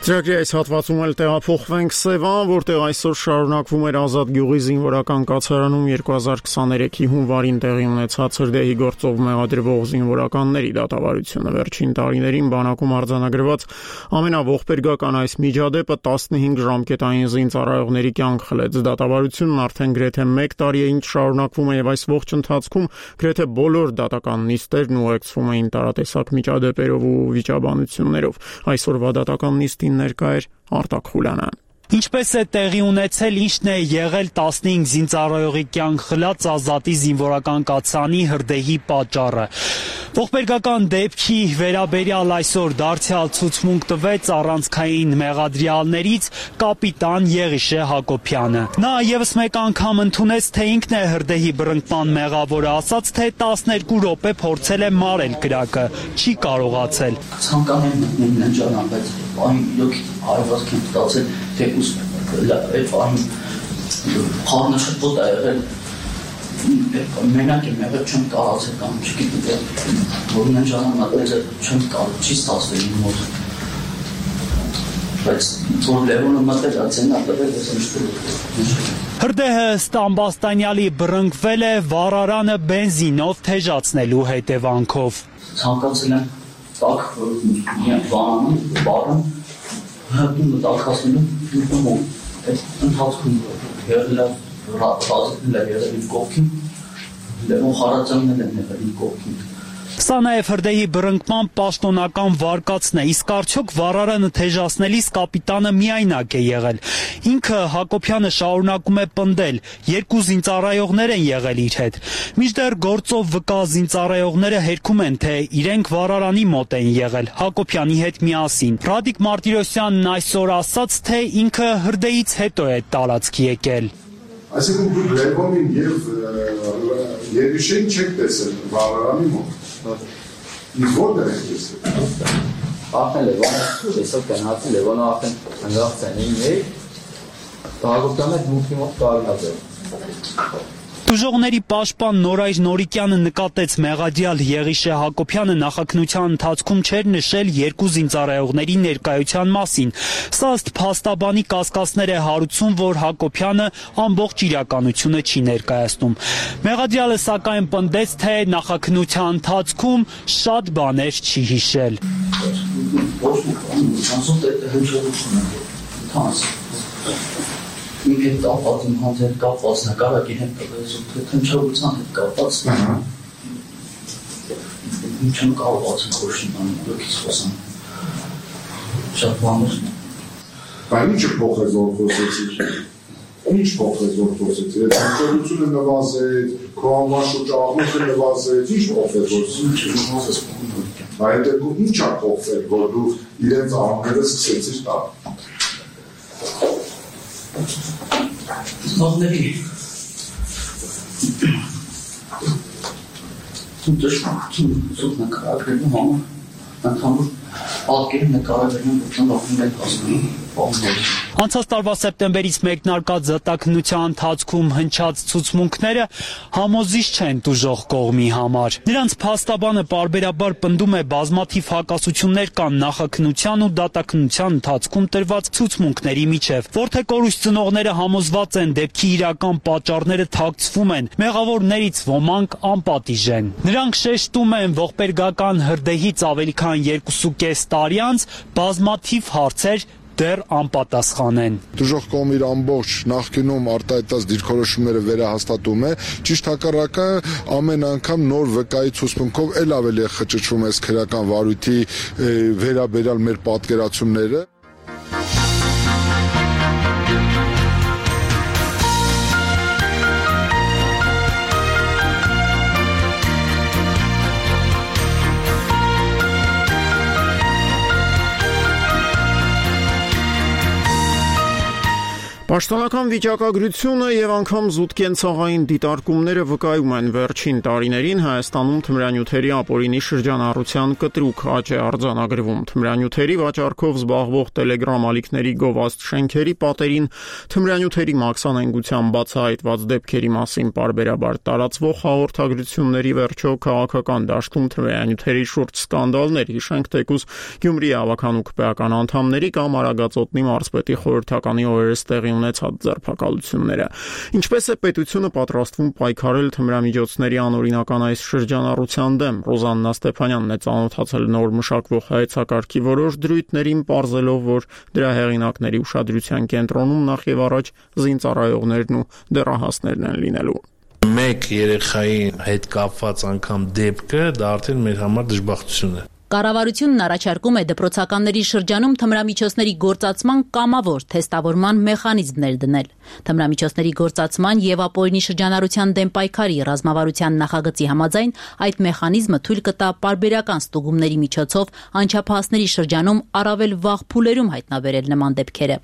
Ծրագրի այս հատվածում էլ տեղափոխվենք Սևան, որտեղ այսօր շարունակվում էր Ազատ գյուղի զինվորական կացարանում 2023-ի հունվարին տեղի ունեցած հրդեհի գործով մեղադրվող զինվորականների դատավարությունը։ Վերջին տարիներին բանակում արձանագրված ամենաողբերգական այս միջադեպը 15 ժամկետային զինծառայողների կյանք խլեց։ Դատավարությունն արդեն գրեթե 1 տարի է ինչ շարունակվում է, եւ այս ողջ ընթացքում գրեթե բոլոր դատական նիստերն ուղեկցվում էին տարատեսակ միջադեպերով ու վիճաբանություններով։ Այսօրվա դատական նիստին ներկա էր Արտակ Խուլյանը։ Ինչպես է տեղի ունեցել, ինչն է եղել 15 զինծառայողի կյանք խլած Ազատի զինվորական կացարանի հրդեհի պատճառը։ Ողբերգական դեպքի վերաբերյալ այսօր դարձյալ ցուցմունք տվեց առանցքային մեղադրյալներից կապիտան Եղիշե Հակոբյանը։ Նա եւս մեկ անգամ ընդունեց, թե ինքն է հրդեհի բռնկման մեղավորը, ասաց, թե 12 րոպե փորձել է մարել կրակը, չի կարողացել։ Ցանկանում եմ ննջանալ, բայց այն իրոք հարվածք եմ ստացել, թե այդ այն խառնը շփոթ է եղել։ Մենակ եմ եղել, չեմ կարացել կամ չգիտեմ, որ ննջանալը չեմ կարող, չի ստացվել իմ մոտ։ Բայց որ Լևոնը մտել ացենա տվել ես նշտել։ Հրդեհը Ստամբաստանյալի բռնկվել է վառարանը բենզինով թեժացնելու հետևանքով։ Ցանկացել եմ տակ վանանում, բարում, հատումը տակասնելու ու այդ ընթացքում եղել եղել կողքին, Լևոն Խարացյանն էլ եղել կողքին։ Սա նաև հրդեհի բռնկման պաշտոնական վարկածն է, իսկ արդյոք վառարանը թեժացնելիս կապիտանը միայնակ է եղել։ Ինքը Հակոբյանը շարունակում է պնդել, 2 զինծառայողներ են եղել իր հետ։ Մինչդեռ գործով վկա զինծառայողները հերքում են, թե իրենք վառարանի մոտ են եղել Հակոբյանի հետ միասին։ Ռադիկ Մարտիրոսյանն այսօր ասաց, թե ինքը հրդեհից հետո է տարածքի եկել։ Այսինքն դուք Լևոնին եւ Եղիշեն չեք տեսել վառարանի մոտ։ Իսկ որտեղ եք տեսել։ Արդեն Լևոնը տեսավ գնացել, Լևոնը արդեն հանգած ցանին է։ Հակոբյանը դուքի մոտ կարողացել։ Տուժողների պաշտպան Նորայր Նորիկյանը նկատեց մեղադիալ Եղիշե Հակոբյանը նախաքննության ընթացքում չէր նշել երկու զինծառայողների ներկայության մասին։ Սա ըստ փաստաբանի կասկածներ է հարուցում, որ Հակոբյանը ամբողջ իրականությունը չի ներկայացնում։ Մեղադիալը սակայն պնդեց, թե նախաքննության ընթացքում շատ բաներ չի հիշել։ Ինքը կապված իմ հետ կապված նկարակի հետ թնչողության հետ կապված ինչն կապված խոշին լոքից խոսան շատ բաներ Բայց ինչ փոխեց որ խոսեցիք Ինչ փոխեց որ խոսեցիք Թնչողությունը նվազեց քո անվաշուճ աղմուկը նվազեց Ինչ փոխեց որ Այդ ինչ է փոխվել որ դու իրենց աղմուկները սկսեցիր տալ Մաղների Սուտ նկարագրելու համար Ընդհանուր ատկերի նկարագրելու նպատակով ենք հասնում Անցած տարվա սեպտեմբերից մեկնարկած զտաքննության ընթացքում հնչած ցուցմունքները համոզիչ չեն տուժող կողմի համար։ Նրանց փաստաբանը պարբերաբար պնդում է բազմաթիվ հակասություններ կան նախաքննության ու դատաքննության ընթացքում տրված ցուցմունքների միջև։ Որդեկորույս ծնողները համոզված են դեպքի իրական պատճառները թաքցվում են, մեղավորներից ոմանք անպատիժ են։ Նրանք շեշտում են ողբերգական հրդեհից ավելի քան 2.5 տարի անց բազմաթիվ հարցեր դեռ անպատասխան են։ Տուժող կողմի ամբողջ նախկինում արտահայտած դիրքորոշումները վերահաստատում է, ճիշտ հակառակը ամեն անգամ նոր վկայի ցուցմունքով ել ավելի է խճճվում այս քրեական վարույթի վերաբերյալ մեր պատկերացումները։ Պաշտոնական վիճակագրությունը եւ անգամ զուտ կենցաղային դիտարկումները վկայում են վերջին տարիներին Հայաստանում թմրանյութերի ապօրինի շրջանառության կտրուկ աճ է արձանագրվում։ Թմրանյութերի վաճառքով զբաղվող Telegram ալիքների գովազդ շենքերի պատերին թմրանյութերի մաքսանենգության բացահայտված դեպքերի մասին պարբերաբար տարածվող հաղորդագրությունների վերջո քաղաքական դաշտում թմրանյութերի շուրջ սկանդալներ, հիշենք թեկուզ Գյումրի ավականու քպեական անդամների կամ Արագածոտնի մարզպետի խորհրդականի օրերս տեղի ունեցած ձերբակալությունները։ Ինչպես է պետությունը պատրաստվում պայքարել թմրամիջոցների անօրինական այս շրջանառության դեմ։ Ռոզաննա Ստեփանյանն է ծանոթացել նոր մշակվող հայեցակարգի որոշ դրույթներին, պարզելով, որ դրա հեղինակների ուշադրության կենտրոնում նախ եւ առաջ զինծառայողներն ու դեռահասներն են լինելու։ Մեկ երեխայի հետ կապված անգամ դեպքը դա արդեն մեր համար դժբախտություն է։ Կառավարությունն առաջարկում է դպրոցականների շրջանում թմրամիջոցների գործածման կամավոր թեստավորման մեխանիզմներ դնել։ Թմրամիջոցների գործածման եւ ապօրինի շրջանառության դեմ պայքարի ռազմավարության նախագծի համաձայն այդ մեխանիզմը թույլ կտա պարբերական ստուգումների միջոցով անչափահասների շրջանում առավել վաղ փուլերում հայտնաբերել նման դեպքերը։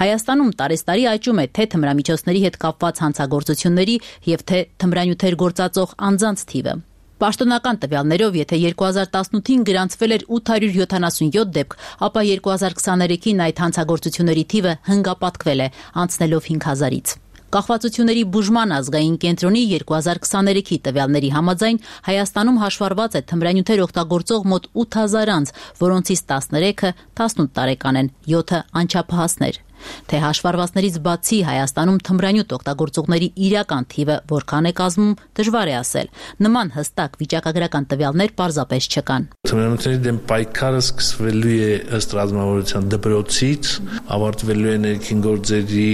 Հայաստանում տարեստարի աճում է թե թմրամիջոցների հետ կապված հանցագործությունների եւ թե թմրանյութեր գործածող անձանց թիվը։ Պաշտոնական տվյալներով, եթե 2018-ին գրանցվել էր 877 դեպք, ապա 2023-ին այդ հանցագործությունների թիվը հնգապատկվել է, անցնելով 5000-ից։ Կախվածությունների բուժման ազգային կենտրոնի 2023-ի տվյալների համաձայն Հայաստանում հաշվառված է թմրանյութեր օգտագործող մոտ 8000 անձ, որոնցից 13-ը 18 տարեկան են, 7-ը անչափահասներ։ Թե հաշվառվածներից բացի Հայաստանում թմրանյութ օգտագործողների իրական թիվը որքան է կազմում, դժվար է ասել։ Նման հստակ վիճակագրական տվյալներ պարզապես չկան։ Թմրանյութերի դեմ պայքարը սկսվելու է ըստ ռազմավարության դպրոցից, ավարտվելու է ներքին գործերի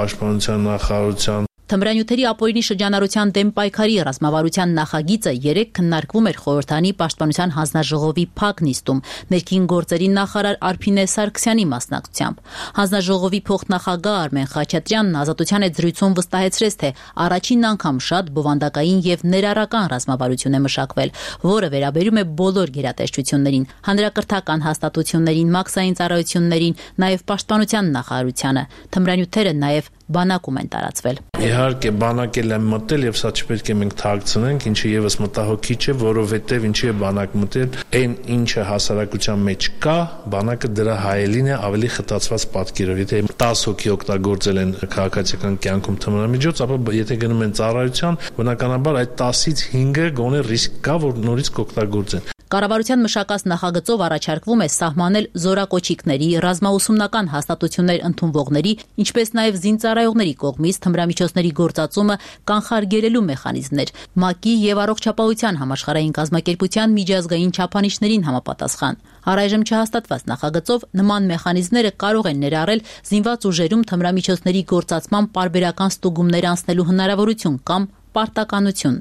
պաշտպանության նախարարության Թմրանյութերի ապօրինի շրջանառության դեմ պայքարի ռազմավարության նախագիծը երեկ քննարկվում էր խորհրդանի պաշտպանության հանձնաժողովի փակ նիստում ներքին գործերի նախարար Արփինե Սարգսյանի մասնակցությամբ։ Հանձնաժողովի փոխնախագահ Արմեն Խաչատրյանն Ազատության հետ զրույցում վստահեցրեց, թե առաջին անգամ շատ բովանդակային եւ ներառական ռազմավարություն է մշակվել, որը վերաբերում է բոլոր գերատեսչություններին, հանրակրթական հաստատություններին, մաքսային ծառայություններին, նաեւ պաշտպանության նախարարությանը։ Թմրանյութերը նաեւ բանակում են տարածվել։ Իհարկե բանակել են մտել եւ սա չպետք է մենք թաքցնենք, ինչը եւս մտահոգիչ է, որովհետեւ ինչի է բանակ մտել, այն ինչը հասարակության մեջ կա, բանակը դրա հայելին է ավելի խտացված պատկերով։ Եթե 10 հոգի օգտագործել են քաղաքացիական կյանքում թմրամիջոց, ապա եթե գնում են ծառայության, բնականաբար այդ 10-ից 5-ը գոնե ռիսկ կա, որ նորից կօգտագործեն։ Կառավարության մշակած նախագծով առաջարկվում է սահմանել զորակոչիկների, ռազմաուսումնական հաստատություններ ընդունվողների, ինչպես նաև զինծառայողների կողմից թմրամիջոցների գործածումը կանխարգելելու մեխանիզմներ, ՄԱԿ-ի եւ Առողջապահության համաշխարհային կազմակերպության միջազգային չափանիշներին համապատասխան։ Առայժմ չհաստատված նախագծով նման մեխանիզմները կարող են ներառել զինված ուժերում թմրամիջոցների գործածման պարբերական ստուգումներ անցնելու հնարավորություն կամ պարտականություն։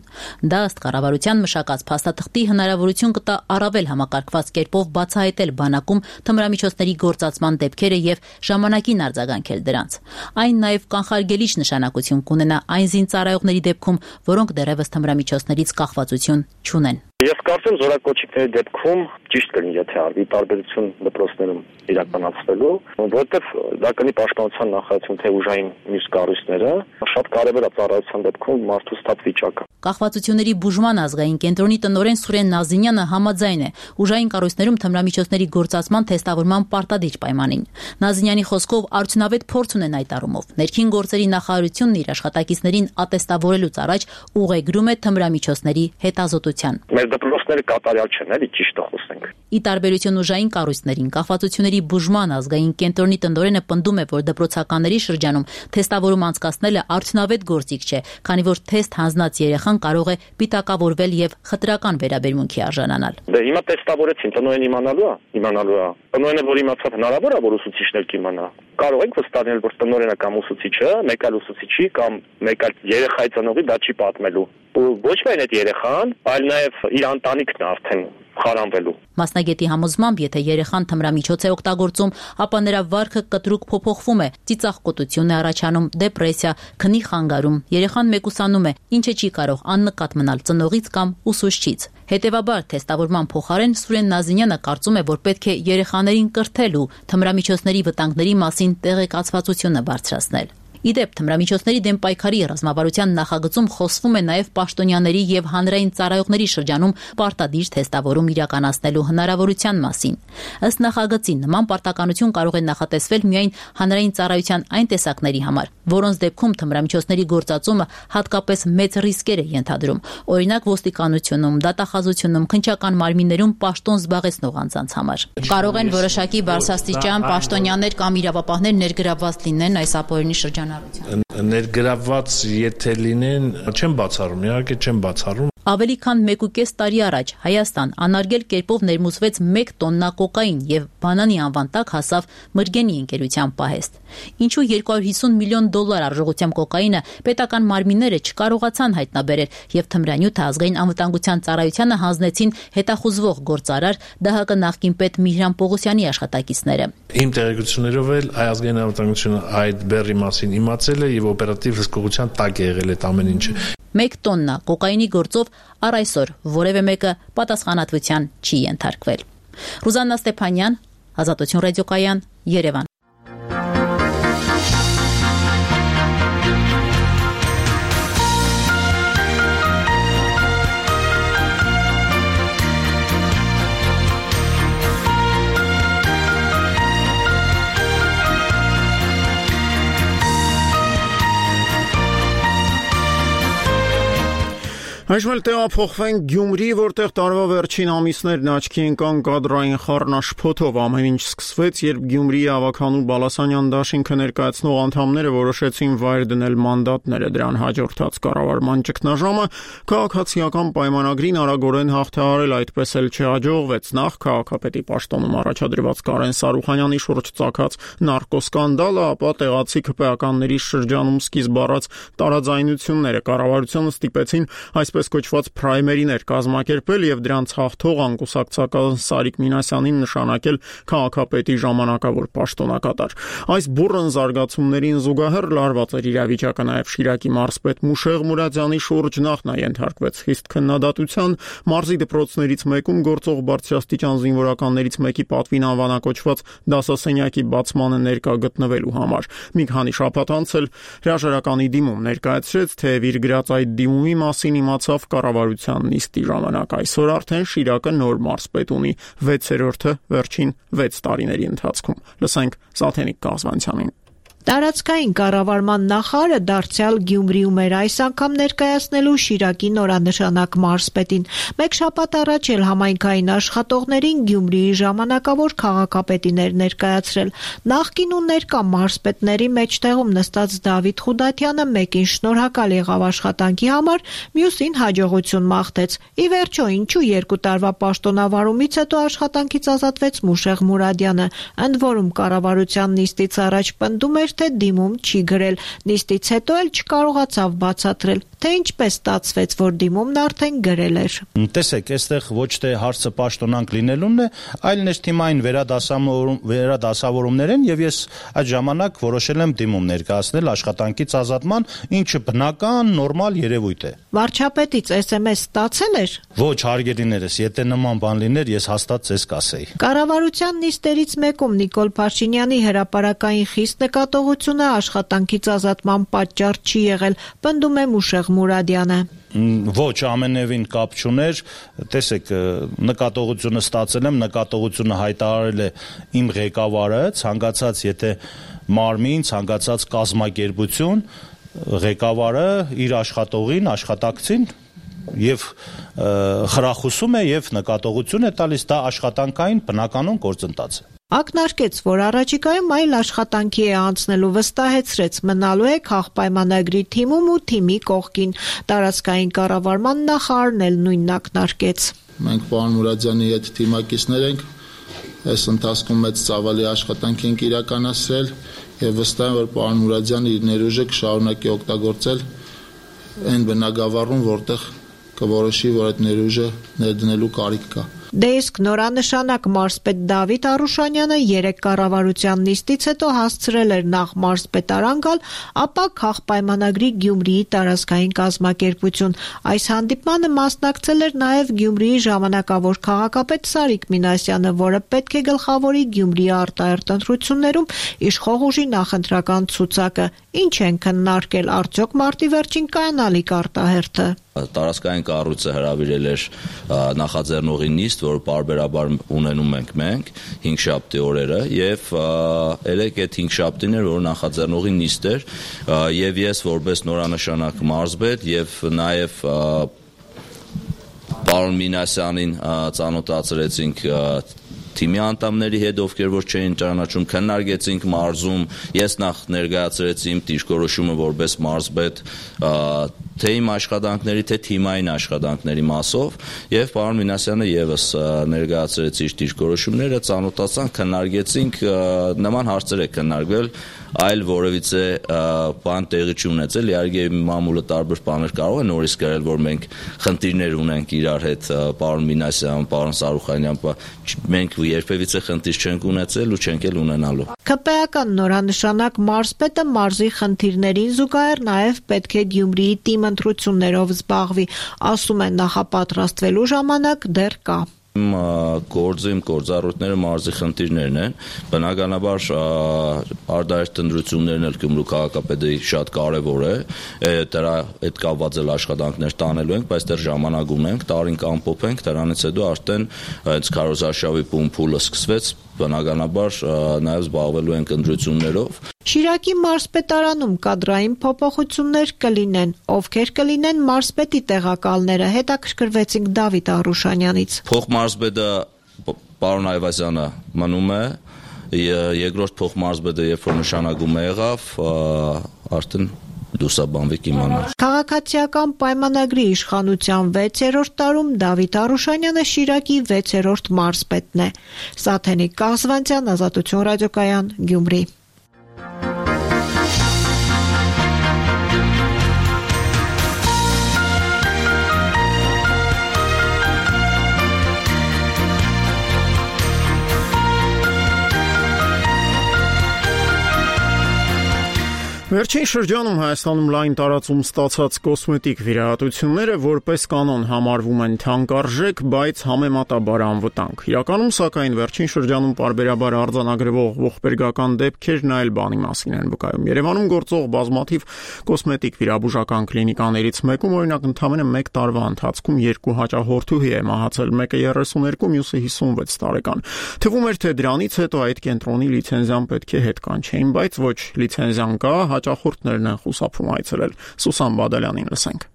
Դա ըստ կառավարության մշակած փաստաթղթի հնարավորություն կտա առավել համակարգված կերպով բացահայտել բանակում թմրամիջոցների գործածման դեպքերը եւ ժամանակին արձագանքել դրանց։ Այն նաեւ կանխարգելիչ նշանակություն կունենա այն զինծառայողների դեպքում, որոնք դեռևս թմրամիջոցներից կախվածություն չունեն։ Ես կարծեմ զորակոչիկների դեպքում ճիշտ կլինի, եթե արվի տարբերություն դպրոցներում իրականացվելու, որովհետև դա կլինի պաշտպանության նախարարություն թե ուժային մյուս կառույցները, շատ կարևոր է ծառայության դեպքում մարդու ստատ վիճակը։ Կախվածությունների բուժման ազգային կենտրոնի տնօրեն Սուրեն Նազինյանը համաձայն է ուժային կառույցներում թմրամիջոցների գործածման թեստավորման պարտադիր պայմանին։ Նազինյանի խոսքով արդյունավետ փորձ ունեն այդ առումով։ Ներքին գործերի նախարարությունն իր աշխատակիցներին ատեստավորելուց առաջ ուղեգրում է թմրամիջոցների հետազոտության։ Դպրոցները կատարյալ չեն, էլի ճիշտը խոսենք։ Ի տարբերություն ուժային կառույցներին, կախվածությունների բուժման ազգային կենտրոնի տնօրենը պնդում է, որ դպրոցականների շրջանում թեստավորում անցկացնելը արդյունավետ գործիք չէ, քանի որ թեստ հանձնած երեխան կարող է պիտակավորվել եւ խտրական վերաբերմունքի արժանանալ։ Դե հիմա տեստավորեցին, տնօրեն իմանալու է։ Տնօրենը որ իմացավ հնարավոր է, որ ուսուցիչներ կիմանա։ Կարող ենք վստահել, որ տնօրենը կամ ուսուցիչը, մեկ այլ ուսուցիչի կամ մեկ այլ երեխայի ծնողի դա չի պատմելու։ Ոչ միայն այդ երեխան, այլ նաև իր ընտանիքն արդեն խարանվելու։ Մասնագետի համոզմամբ, եթե երեխան թմրամիջոց է օգտագործում, ապա նրա վարքը կտրուկ փոփոխվում է, ծիծաղկոտություն է առաջանում, դեպրեսիա, քնի խանգարում, երեխան մեկուսանում է, ինչը չի կարող աննկատ մնալ ծնողից կամ ուսուցչից։ Հետևաբար, թեստավորման փոխարեն Սուրեն Նազինյանը կարծում է, որ պետք է երեխաներին կրթել ու թմրամիջոցների վտանգների մասին տեղեկացվածությունը բարձրացնել։ Իդեպ թմրամիջոցների դեմ պայքարի ռազմավարության նախագծում խոսվում է նաև պաշտոնյաների եւ հանրային ծառայողների շրջանում պարտադիր թեստավորում իրականացնելու հնարավորության մասին։ Ըստ նախագծի, նման պարտականություն կարող է նախատեսվել միայն հանրային ծառայության այն տեսակների համար, որոնց դեպքում թմրամիջոցների գործածումը հատկապես մեծ ռիսկեր է ենթադրում, օրինակ ոստիկանությունում, դատախազությունում, քննչական մարմիններում պաշտոն զբաղեցնող անձանց համար։ Կարող են որոշակի բարձրաստիճան պաշտոնյաներ կամ իրավապահներ ներգրավված լինեն այս ապօրինի շրջանում։ Ներգրավված եթե լինեն, չեմ բացառում, իհարկե չեմ բացառում։ Ավելի քան 1.5 տարի առաջ Հայաստան անարգել կերպով ներմուծվեց 1 տոննա կոկային եւ բանանի անվան տակ հասավ Մրգենի ընկերության պահեստ։ Ինչու $250 միլիոն արժողությամբ կոկայինը պետական մարմինները չկարողացան հայտնաբերել եւ թմրանյութը ազգային անվտանգության ծառայությանը հանձնեցին հետախուզվող գործարար ԴՀԿ նախկին պետ Միհրան Պողոսյանի աշխատակիցները։ Իմ տեղեկություններով էլ ազգային անվտանգությունը այդ բեռի մասին իմացել է եւ օպերատիվ հսկողության տակ է եղել այդ ամեն ինչը։ 1 տոննա կոկայինի գործով առ այսօր որևէ մեկը պատասխանատվության չի ենթարկվել։ Ռուզաննա Ստեփանյան, Ազատություն ռադիոկայան, Երևան։ Այժմ էլ տեղափոխվենք Գյումրի, որտեղ տարվա վերջին ամիսներն աչքի ընկան կադրային խառնաշփոթով։ Ամեն ինչ սկսվեց, երբ Գյումրիի Ավագանու Բալասանյան դաշինքը ներկայացնող անդամները որոշեցին վայր դնել մանդատները։ Դրան հաջորդած կառավարման ճգնաժամը քաղաքացիական պայմանագրին արագորեն հաղթահարել, այդպես էլ չհաջողվեց։ Նախ քաղաքապետի պաշտոնում առաջադրված Կարեն Սարուխանյանի շուրջ ծագած նարկոսկանդալը, ապա տեղացի ԿՊԱ-ականների շրջանում սկիզբ առած տարաձայնությունները կառավարությունը ստիպեցին այսպես այսպես կոչված պրայմերիներ կազմակերպել եւ դրանց հաղթող անկուսակցական Սարիկ Մինասյանին նշանակել քաղաքապետի ժամանակավոր պաշտոնակատար։ Այս բուռն զարգացումներին զուգահեռ լարված էր իրավիճակը նաեւ Շիրակի մարզպետ Մուշեղ Մուրադյանի շուրջ նախ նա ենթարկվեց խիստ քննադատության, մարզի դպրոցներից մեկում գործող բարձրաստիճան զինվորականներից մեկի պատվին անվանակոչված դասասենյակի բացմանը ներկա գտնվելու համար։ Մի քանի շաբաթ անց էլ հրաժարականի դիմում ներկայացրեց, թեև իր գրած այդ դիմումի մասին իմացավ կառավարության նիստի ժամանակ։ Այսօր արդեն Շիրակը նոր մարզպետ ունի, 6-րդը վերջին 6 տարիների ընթացքում։ Լսենք Սաթենիկ Կազվանցյանին։ Տարածքային կառավարման նախարարը դարձյալ Գյումրիում էր այս անգամ ներկայացնելու Շիրակի նորանշանակ մարզպետին։ Մեկ շաբաթ առաջ էլ համայնքային աշխատողներին Գյումրիի ժամանակավոր քաղաքապետիներ ներկայացրել։ Նախկին ու ներկա մարզպետների մեջտեղում նստած Դավիթ Խուդատյանը մեկին շնորհակալ եղավ աշխատանքի համար, մյուսին հաջողություն մաղթեց։ Ի վերջո, ինչու 2 տարվա պաշտոնավարումից հետո աշխատանքից ազատվեց Մուշեղ Մուրադյանը, ընդ որում կառավարության նիստից առաջ պնդում էր, թե դիմում չի գրել, նիստից հետո էլ չկարողացավ բացատրել, թե ինչպես ստացվեց, որ դիմումն արդեն գրել էր։ Տեսեք, այստեղ ոչ թե հարցը պաշտոնանկ լինելունն է, այլ ներթիմային վերադասավորումներ են, եւ ես այդ ժամանակ որոշել եմ դիմում ներկայացնել աշխատանքից ազատման, ինչը բնական, նորմալ երևույթ է։ Վարչապետից SMS ստացել էր։ Ոչ, հարգելիներս, եթե նման բան լիներ, ես հաստատ ձեզ կասեի։ Կառավարության նիստերից մեկում Նիկոլ Փաշինյանի հրապարակային խիստ նկատողությունը աշխատանքից ազատման պատճառ չի եղել, պնդում է Մուշեղ Մուրադյանը։ Ոչ, ամենևին կապ չուներ, տեսեք, նկատողությունը ստացել եմ, նկատողությունը հայտարարել է իմ ղեկավարը, ցանկացած եթե մարմին, ցանկացած կազմակերպություն, ղեկավարը իր աշխատողին, աշխատակցին եւ խրախուսում է եւ նկատողություն է տալիս, դա աշխատանքային բնականon գործընթաց է։ Ակնարկեց, որ առաջիկայում այլ աշխատանքի է անցնելու, վստահեցրեց, մնալու է քաղպայմանագրի թիմում ու թիմի կողքին։ Տարածքային կառավարման նախարարն էլ նույնն ակնարկեց։ Մենք պարոն Մուրադյանի հետ թիմակիցներ ենք, այս ընթացքում մեծ ծավալի աշխատանք ենք իրականացրել եւ վստահ եմ, որ պարոն Մուրադյանը իր ներուժը կշարունակի օգտագործել այն բնագավառում, որտեղ կորոշի, որ այդ ներուժը ներդնելու կարիք կա։ Դեիսկ նորանշանակ մարզպետ Դավիթ Արուշանյանը 3 կառավարության նիստից հետո հասցրել էր նախ մարզպետարան գալ, ապա քաղպայմանագրի Գյումրիի տարածքային կազմակերպություն։ Այս հանդիպմանը մասնակցել էր նաև Գյումրիի ժամանակավոր քաղաքապետ Սարիկ Մինասյանը, որը պետք է գլխավորի Գյումրիի արտահերթ ընտրություններում իշխող ուժի նախընտրական ցուցակը։ Ինչ են քննարկել, արդյոք մարտի վերջին կայանալիք արտահերթը։ Տարածքային կառույցը հրավիրել էր նախաձեռնողի նիստ, որ պարբերաբար ունենում ենք մենք 5 շաբթի օրերը եւ երեք այդ 5 շաբթին էր, որ նախաձեռնողի նիստ էր եւ ես որպես նորանշանակ մարզպետ եւ նաեւ պարոն Մինասյանին ծանոթացրեցինք թիմի անդամների հետ, ովքեր որ չէին ճանաչում, քննարկեցինք մարզում, ես նախ ներկայացրեցի իմ դիրքորոշումը որպես մարզպետ, թե իմ աշխատանքների, թե թիմային աշխատանքների մասով, եւ պարոն Մինասյանը եւս ներկայացրեց իր դիրքորոշումները, ծանոթացանք, քննարկեցինք, նման հարցեր է քննարկվել, այլ որևիցե բան տեղի չունեցել, իհարկե մամուլը տարբեր բաներ կարող է նորից գրել, որ մենք խնդիրներ ունենք իրար հետ, պարոն Մինասյան, պարոն Սարուխանյան, մենք երբևիցե խնդիր չենք ունեցել ու չենք էլ ունենալու։ ԿՊ-ական նորանշանակ մարզպետը մարզի խնդիրներին զուգահեռ նաև պետք է Գյումրիի թիմ ընտրություններով զբաղվի, ասում են նախապատրաստվելու ժամանակ դեռ կա։ Իմ գործառույթները մարզի խնդիրներն են, բնականաբար արտահերթ ընտրություններն էլ Գյումրու քաղաքապետի շատ կարևոր է, դրա հետ կապված էլ աշխատանքներ տանելու ենք, բայց դեռ ժամանակ ունենք, տարին կամփոփենք, դրանից հետո արդեն հենց քարոզարշավի փուլը սկսվեց, բնականաբար նաև զբաղվելու ենք ընտրություններով։ Շիրակի մարզպետարանում կադրային փոփոխություններ կլինեն, ովքեր կլինեն մարզպետի տեղակալները, հետաքրքրվեցինք Դավիթ Արուշանյանից։ Փոխմարզպետը պարոն Այվազյանը մնում է, երկրորդ փոխմարզպետը երբ որ նշանակում եղավ, արդեն դուսաբանվի կիմանալ։ Քաղաքացիական պայմանագրի իշխանության 6-րդ տարում Դավիթ Արուշանյանը Շիրակի 6-րդ մարզպետն է։ Սաթենիկ Կազվանցյան, Ազատություն ռադիոկայան, Գյումրի։ Վերջին շրջանում Հայաստանում լայն տարածում ստացած կոսմետիկ վիրահատությունները որպես կանոն համարվում են թանկարժեք, բայց համեմատաբար անվտանգ։ Իրականում, սակայն, վերջին շրջանում պարբերաբար արձանագրվող ողբերգական դեպքերն այլ բանի մասին են վկայում։ Երևանում գործող բազմաթիվ կոսմետիկ վիրաբուժական կլինիկաներից մեկում, օրինակ, ընդամենը 1 տարվա ընթացքում 2 հաճախորդուհի է մահացել, մեկը 32, մյուսը 56 տարեկան։ Թվում էր, թե դրանից հետո այդ կենտրոնի լիցենզիան պետք է հետ կանչեին, բայց ոչ, լիցենզիան կա, հաճախորդներն են խուսափում այցելել։ Սուսան Բադալյանին լսենք։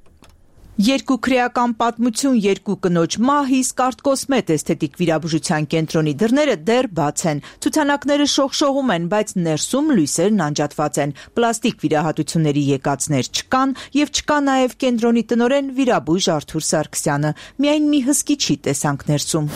Երկու քրեական պատմություն, երկու կնոջ մահ, իսկ Արտկոսմետ էսթետիկ վիրաբուժության կենտրոնի դռները դեռ բաց են։ Ցուցանակները շողշողում են, բայց ներսում լույսերն անջատված են։ Պլաստիկ վիրահատությունների եկածներ չկան եւ չկա նաեւ կենտրոնի տնօրեն վիրաբույժ Արթուր Սարգսյանը։ Միայն մի հսկիչի տեսանք ներսում։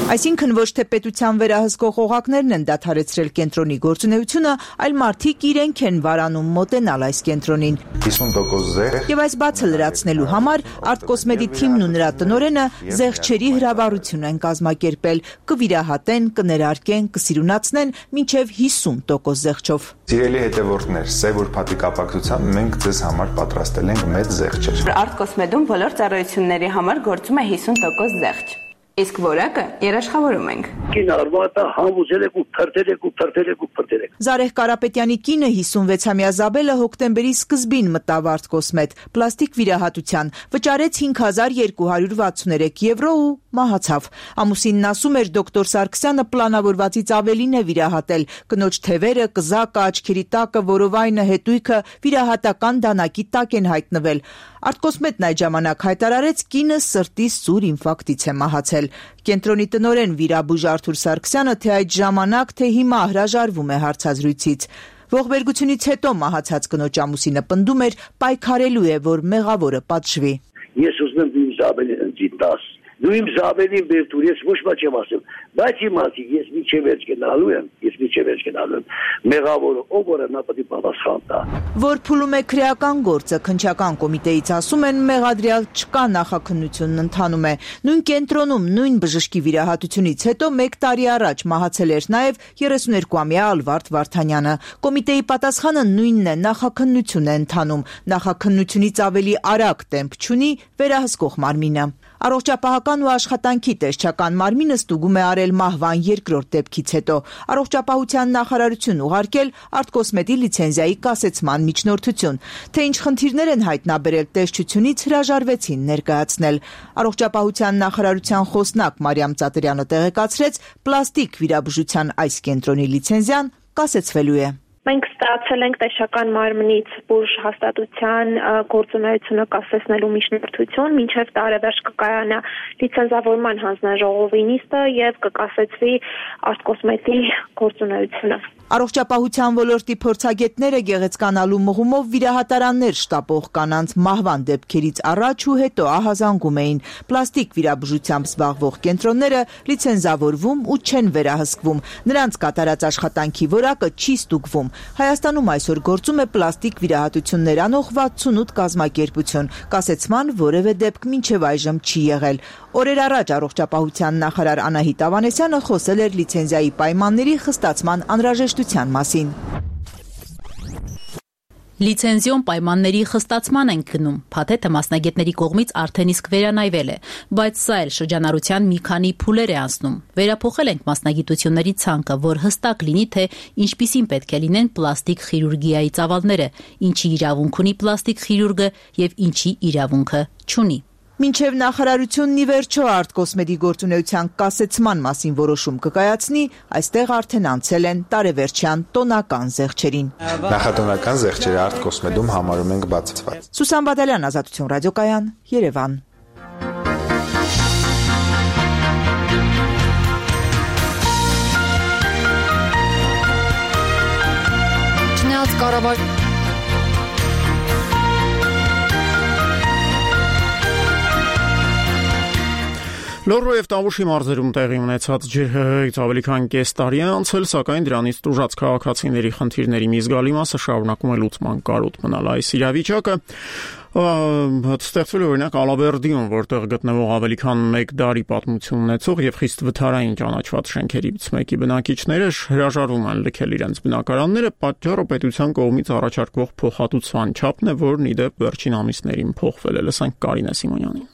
Այսինքն ոչ թե պետության վերահսկող օղակներն են դադարեցրել կենտրոնի գործունեությունը, այլ մարդիկ իրենք են վարանում մոտենալ այս կենտրոնին։ 50% զեղ։ Եվ այս բացը լրացնելու համար Արտկոսմետի թիմն ու նրա տնօրենը զեղչերի հրավառություն են կազմակերպել, կվիրահատեն, կներարկեն, կսիրունացնեն մինչև 50% զեղչով։ Սիրելի հետևորդներ, սև ուրբաթի կապակցությամբ մենք ձեզ համար պատրաստել ենք մեծ զեղչեր։ Արտկոսմետում բոլոր ծառայությունների համար գործում է 50% զեղչ։ Իսկ որակը երաշխավորում ենք։ Կինարվատը համոզել եք ու փրտել եք։ Զարեհ Կարապետյանի կինը 56-ամյա Զաբելը հոկտեմբերի սկզբին մտավ Արտկոսմետ պլաստիկ վիրահատության, վճարեց 5263 եվրո ու մահացավ։ Ամուսինն ասում էր դոկտոր Սարգսյանը պլանավորվածից ավելին է վիրահատել, կնոջ թևերը, կզակը, աչքերի տակը, որովայնը, հետույքը վիրահատական դանակի տակ են հայտնվել։ Արտկոսմետն այդ ժամանակ հայտարարեց կինը սրտի սուր ինֆարկտից է մահացել։ Կենտրոնի տնօրեն վիրաբույժ Արթուր Սարգսյանը թե այդ ժամանակ, թե հիմա հրաժարվում է հարցազրույցից։ Ողբերգությունից հետո մահացած կնոջ ամուսինը պնդում էր պայքարելու է, որ մեղավորը պատժվի։ Ես ուզում եմ իմ Զաբելին ընծի 10։ Դու իմ Զաբելին բերտուր, ես ոչ մի չեմ ասում, բայց իմացի, ես միջև վերջ գնալու եմ, մեղավորը ով որ նա պետք է պատասխան տա։ Որ փուլում է քրեական գործը, քննչական կոմիտեից ասում են մեղադրյալ չկա, նախաքննությունն ընթանում է։ Նույն կենտրոնում, նույն բժշկի վիրահատությունից հետո 1 տարի առաջ մահացել էր նաև 32-ամյա Ալվարդ Վարդանյանը։ Կոմիտեի պատասխանը նույնն է, նախաքննություն է ընթանում, նախաքննությունից ավելի արագ տեմպ չունի վերահսկող մարմինը։ Առողջապահական ու աշխատանքի տեսչական մարմինը ստուգում է արել մահվան երկրորդ դեպքից հետո։ Առողջապահության նախարարություն ուղարկել Արտկոսմետի լիցենզիայի կասեցման միջնորդություն։ Թե ինչ խնդիրներ են հայտնաբերել տեսչությունից հրաժարվեցին ներկայացնել։ Առողջապահության նախարարության խոսնակ Մարիամ Ծատրյանը տեղեկացրեց, պլաստիկ վիրաբուժության այս կենտրոնի լիցենզիան կասեցվելու է։ Մենք ստացել ենք տեսչական մարմնից բուժ հաստատության գործունեությունը կասեցնելու միջնորդություն, մինչև տարեվերջ կկայանա լիցենզավորման հանձնաժողովի նիստը եւ կկասեցվի Արտկոսմետի գործունեությունը։ Առողջապահության ոլորտի փորձագետները գեղեցկանալու մղումով վիրահատարաններ շտապող կանանց մահվան դեպքերից առաջ ու հետո ահազանգում էին։ Պլաստիկ վիրաբուժությամբ զբաղվող կենտրոնները լիցենզավորվում ու չեն վերահսկվում։ Նրանց կատարած աշխատանքի որակը չի ստուգվում։ Հայաստանում այսօր գործում է պլաստիկ վիրահատություններ անող 68 կազմակերպություն։ Կասեցման որևէ դեպք մինչև այժմ չի եղել։ Օրեր առաջ առողջապահության նախարար Անահիտ Ավանեսյանը խոսել էր լիցենզիայի պայմանների խստացման անհրաժեշտության մասին։ Լիցենզիոն պայմանների խստացման են գնում։ Փաթեթը մասնագետների կողմից արդեն իսկ վերանայվել է, բայց սա էլ շրջանառության մի քանի փուլեր է անցնում։ Վերափոխել ենք մասնագիտությունների ցանկը, որ հստակ լինի, թե ինչպիսին պետք է լինեն պլաստիկ խիրուրգիայի ծավալները, ինչի իրավունք ունի պլաստիկ խիրուրգը եւ ինչի իրավունքը չունի։ Մինչև նախարարությունն ի վերջո Արտկոսմետի գործունեության կասեցման մասին որոշում կկայացնի, այստեղ արդեն անցել են տարեվերջյան տոնական զեղչերին։ Նախատոնական զեղչերը Արտկոսմետում համարում ենք բացված։ Սուսան Բադալյան, Ազատություն ռադիոկայան, Երևան։ Չնայած կառավար Լոռու եւ Տավուշի մարզերում տեղի ունեցած ջրհեղեղից ավելի քան կես տարի է անցել, սակայն դրանից տուժած քաղաքացիների խնդիրների մի զգալի մասը շարունակում է լուծման կարոտ մնալ։ Այս իրավիճակը Ստեղծվել է օրինակ Ալավերդիում, որտեղ գտնվող ավելի քան 1 դարի պատմություն ունեցող եւ խիստ վթարային ճանաչված շենքերից մեկի բնակիչները հրաժարվում են լքել իրենց բնակարանները, պատճառը պետության կողմից առաջարկվող փոխհատուցման չափն է, որն ի դեպ վերջին ամիսներին փոխվել է։ Լսենք Կարինե Սիմոնյանին։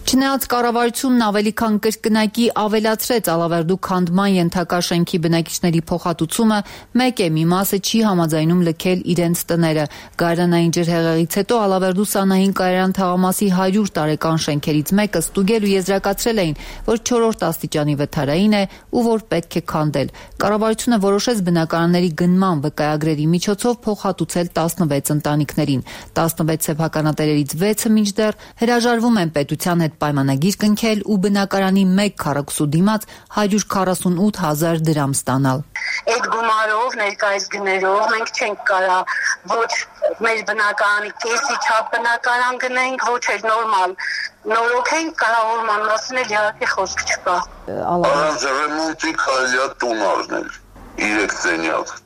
Չնայած կառավարությունն ավելի քան կրկնակի ավելացրեց Ալավերդու քանդման ենթակա շենքի բնակիչների փոխհատուցումը, մեկ է մի մասը չի համաձայնում լքել իրենց տները։ Գարնանային ջրհեղեղից հետո Ալավերդու Սանահին կայարան թաղամասի 100 տարեկան շենքերից մեկը ստուգել ու եզրակացրել էին, որ 4-րդ աստիճանի վթարային է ու որ պետք է քանդել։ Կառավարությունը որոշեց բնակարանների գնման վկայագրերի միջոցով փոխհատուցել 16 ընտանիքներին։ 16 սեփականատերերից 6-ը մինչդեռ հրաժարվում են պետության հետ պայմանագիր կնքել ու բնակարանի 1 քառակուսու դիմաց 148,000 դրամ ստանալ։ Այդ գումարով, ներկայիս գներով մենք չենք կարա ոչ մեր բնակարանի կեսի չափ բնակարան գնենք, ոչ էլ նորմալ նորոգենք, կառավարման մասին էլ իհարկե խոսք չկա։ Առանց ռեմոնտի կարելի է տուն առնել 3 սենյակ։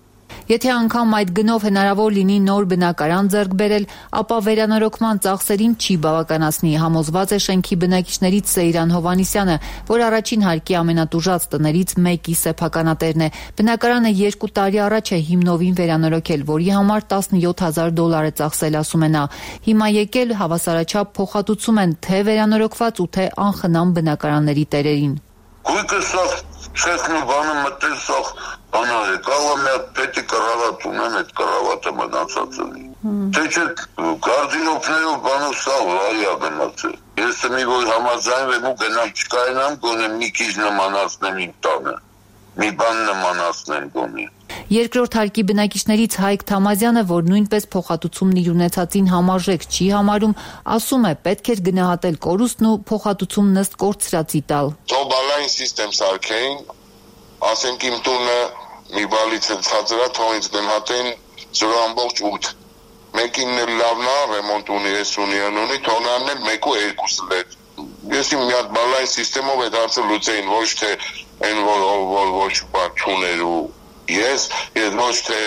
Եթե անգամ այդ գնով հնարավոր լինի նոր բնակարան ձեռք բերել, ապա վերանորոգման ծախսերին չի բավականացնի, համոզված է շենքի բնակիչներից Սեյրան Հովանիսյանը, որ առաջին հարկի ամենատուժած տներից մեկի սեփականատերն է։ Բնակարանը 2 տարի առաջ է հիմնովին վերանորոգել, որի համար $17,000 է ծախսել, ասում է նա։ Հիմա եկել հավասարաչափ փոխհատուցում են թե վերանորոգված ու թե անխնամ բնակարանների տերերին։ Գույքը սա չեսնու բանը մտել սա բանա է, կարող է պետի կռավատ ունեն այդ կռավատը մնացած ունի։ Թե չէ գարդինոպներով բանով սա վարյա գնացել։ Ես մի որ համաձայնվեմ ու գնամ չկայնամ, գոնե մի քիչ նմանացնեմ իմ տանը։ Մի բան նմանացնեմ գոնե։ Երկրորդ հարկի բնակիչներից Հայկ Թամազյանը, որ նույնպես փոխհատուցումն իր ունեցածին համարժեք չի համարում, ասում է պետք էր գնահատել կորուստն ու փոխհատուցումն ըստ կորցրածի տալ։ Թոբալային սիստեմ սարքեին, ասենք իմ տունը մի բալից ցածրա թողից գնահատեն 0.8։ Մեկին էլ լավն է, ռեմոնտ ունի, ես ունի, թողնանն էլ 1 ու 2 լետ։ Ես իմ մի հատ բալային սիստեմով այդ հարցը լուծեին, ոչ թե այն որ ոչ բան չուներ ու ես ոչ թե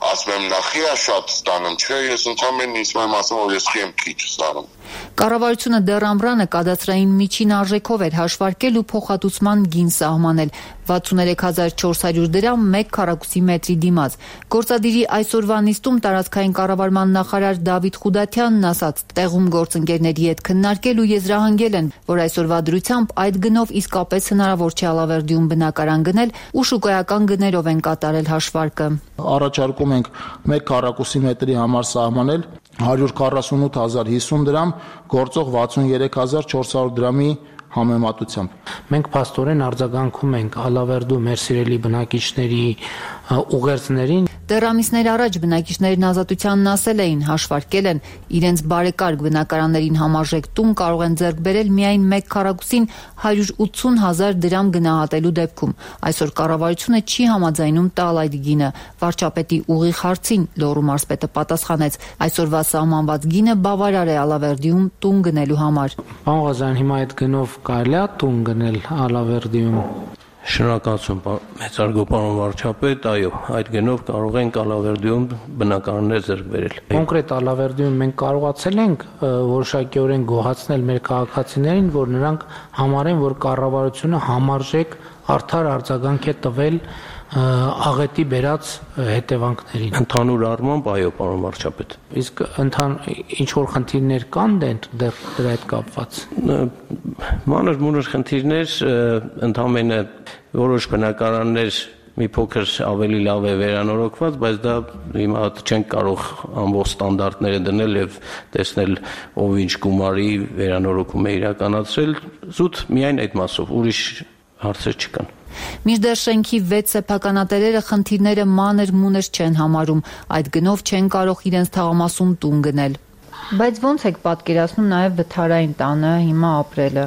ասում եմ նախիա շատ ստանում, չէ, ես ընդհանրապես ինձ եմ ասում, որ ես խիեմ քիչ ստանում։ Կառավարությունը դեռ ամռանը կադաստրային միջին արժեքով էր հաշվարկել ու փոխհատուցման գին սահմանել 63400 դրամ 1 քառակուսի մետրի դիմաց։ Գործադիրի այսօրվա նիստում տարածքային կառավարման նախարար Դավիթ Խուդատյանն ասաց, տեղում գործընկերների հետ քննարկել ու եզրահանգել են, որ այսօրվա դրությամբ այդ գնով իսկապես հնարավոր չէ Ալավերդիում բնակարան գնել ու շուկայական գներով են կատարել հաշվարկը։ Առաջարկում ենք 1 քառակուսի մետրի համար սահմանել 148,050 դրամ, գործող 63400 դրամի համեմատությամբ։ Մենք փաստորեն արձագանքում ենք Ալավերդու մեր սիրելի բնակիչների ուղերձներին։ Դեռ ամիսներ առաջ բնակիչներն Ազատությանն ասել էին, հաշվարկել են, իրենց բարեկարգ բնակարաններին համարժեք տուն կարող են ձեռք բերել միայն 1 քառակուսին 180,000 դրամ գնահատելու դեպքում։ Այսօր կառավարությունը չի համաձայնում տալ այդ գինը։ Վարչապետի ուղիղ հարցին Լոռու մարզպետը պատասխանեց, այսօրվա սահմանված գինը բավարար է Ալավերդիում տուն գնելու համար։ Պարոն Ղազարյան, հիմա այդ գնով կարելի է տուն գնել Ալավերդիում։ Շնորհակալություն մեծարգո պարոն վարչապետ, այո, այդ գնով կարող ենք Ալավերդիում բնակարաններ ձեռք բերել։ Կոնկրետ Ալավերդիում մենք կարողացել ենք որոշակիորեն գոհացնել մեր քաղաքացիներին, որ նրանք համարեն, որ կառավարությունը համարժեք արդար արձագանք է տվել աղետի բերած հետևանքներին։ Ընդհանուր առմամբ այո, պարոն վարչապետ։ Իսկ ինչ որ խնդիրներ կան դեռ դրա հետ կապված։ Մանր-մունր խնդիրներ, ընդհանրապես որոշ բնակարաններ մի փոքր ավելի լավ է վերանորոգված, բայց դա հիմա չենք կարող ամբողջ ստանդարտները դնել եւ տեսնել ով ինչ գումարի վերանորոգում է իրականացրել, զուտ միայն այդ մասով, ուրիշ հարցեր չկան։ Մինչդեռ շենքի 6 սեփականատերերը խնդիրները մանր-մունր չեն համարում, այդ գնով չեն կարող իրենց թաղամասում տուն գնել։ Բայց ո՞նց եք պատկերացնում նաև վթարային տանը հիմա ապրելը։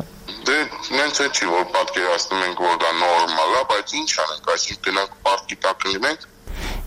Դե նենց է չի, որ պատկերացնում ենք, որ դա նորմալ է, բայց ինչ անենք, այսինքն գնանք պարտքի տակ լինենք։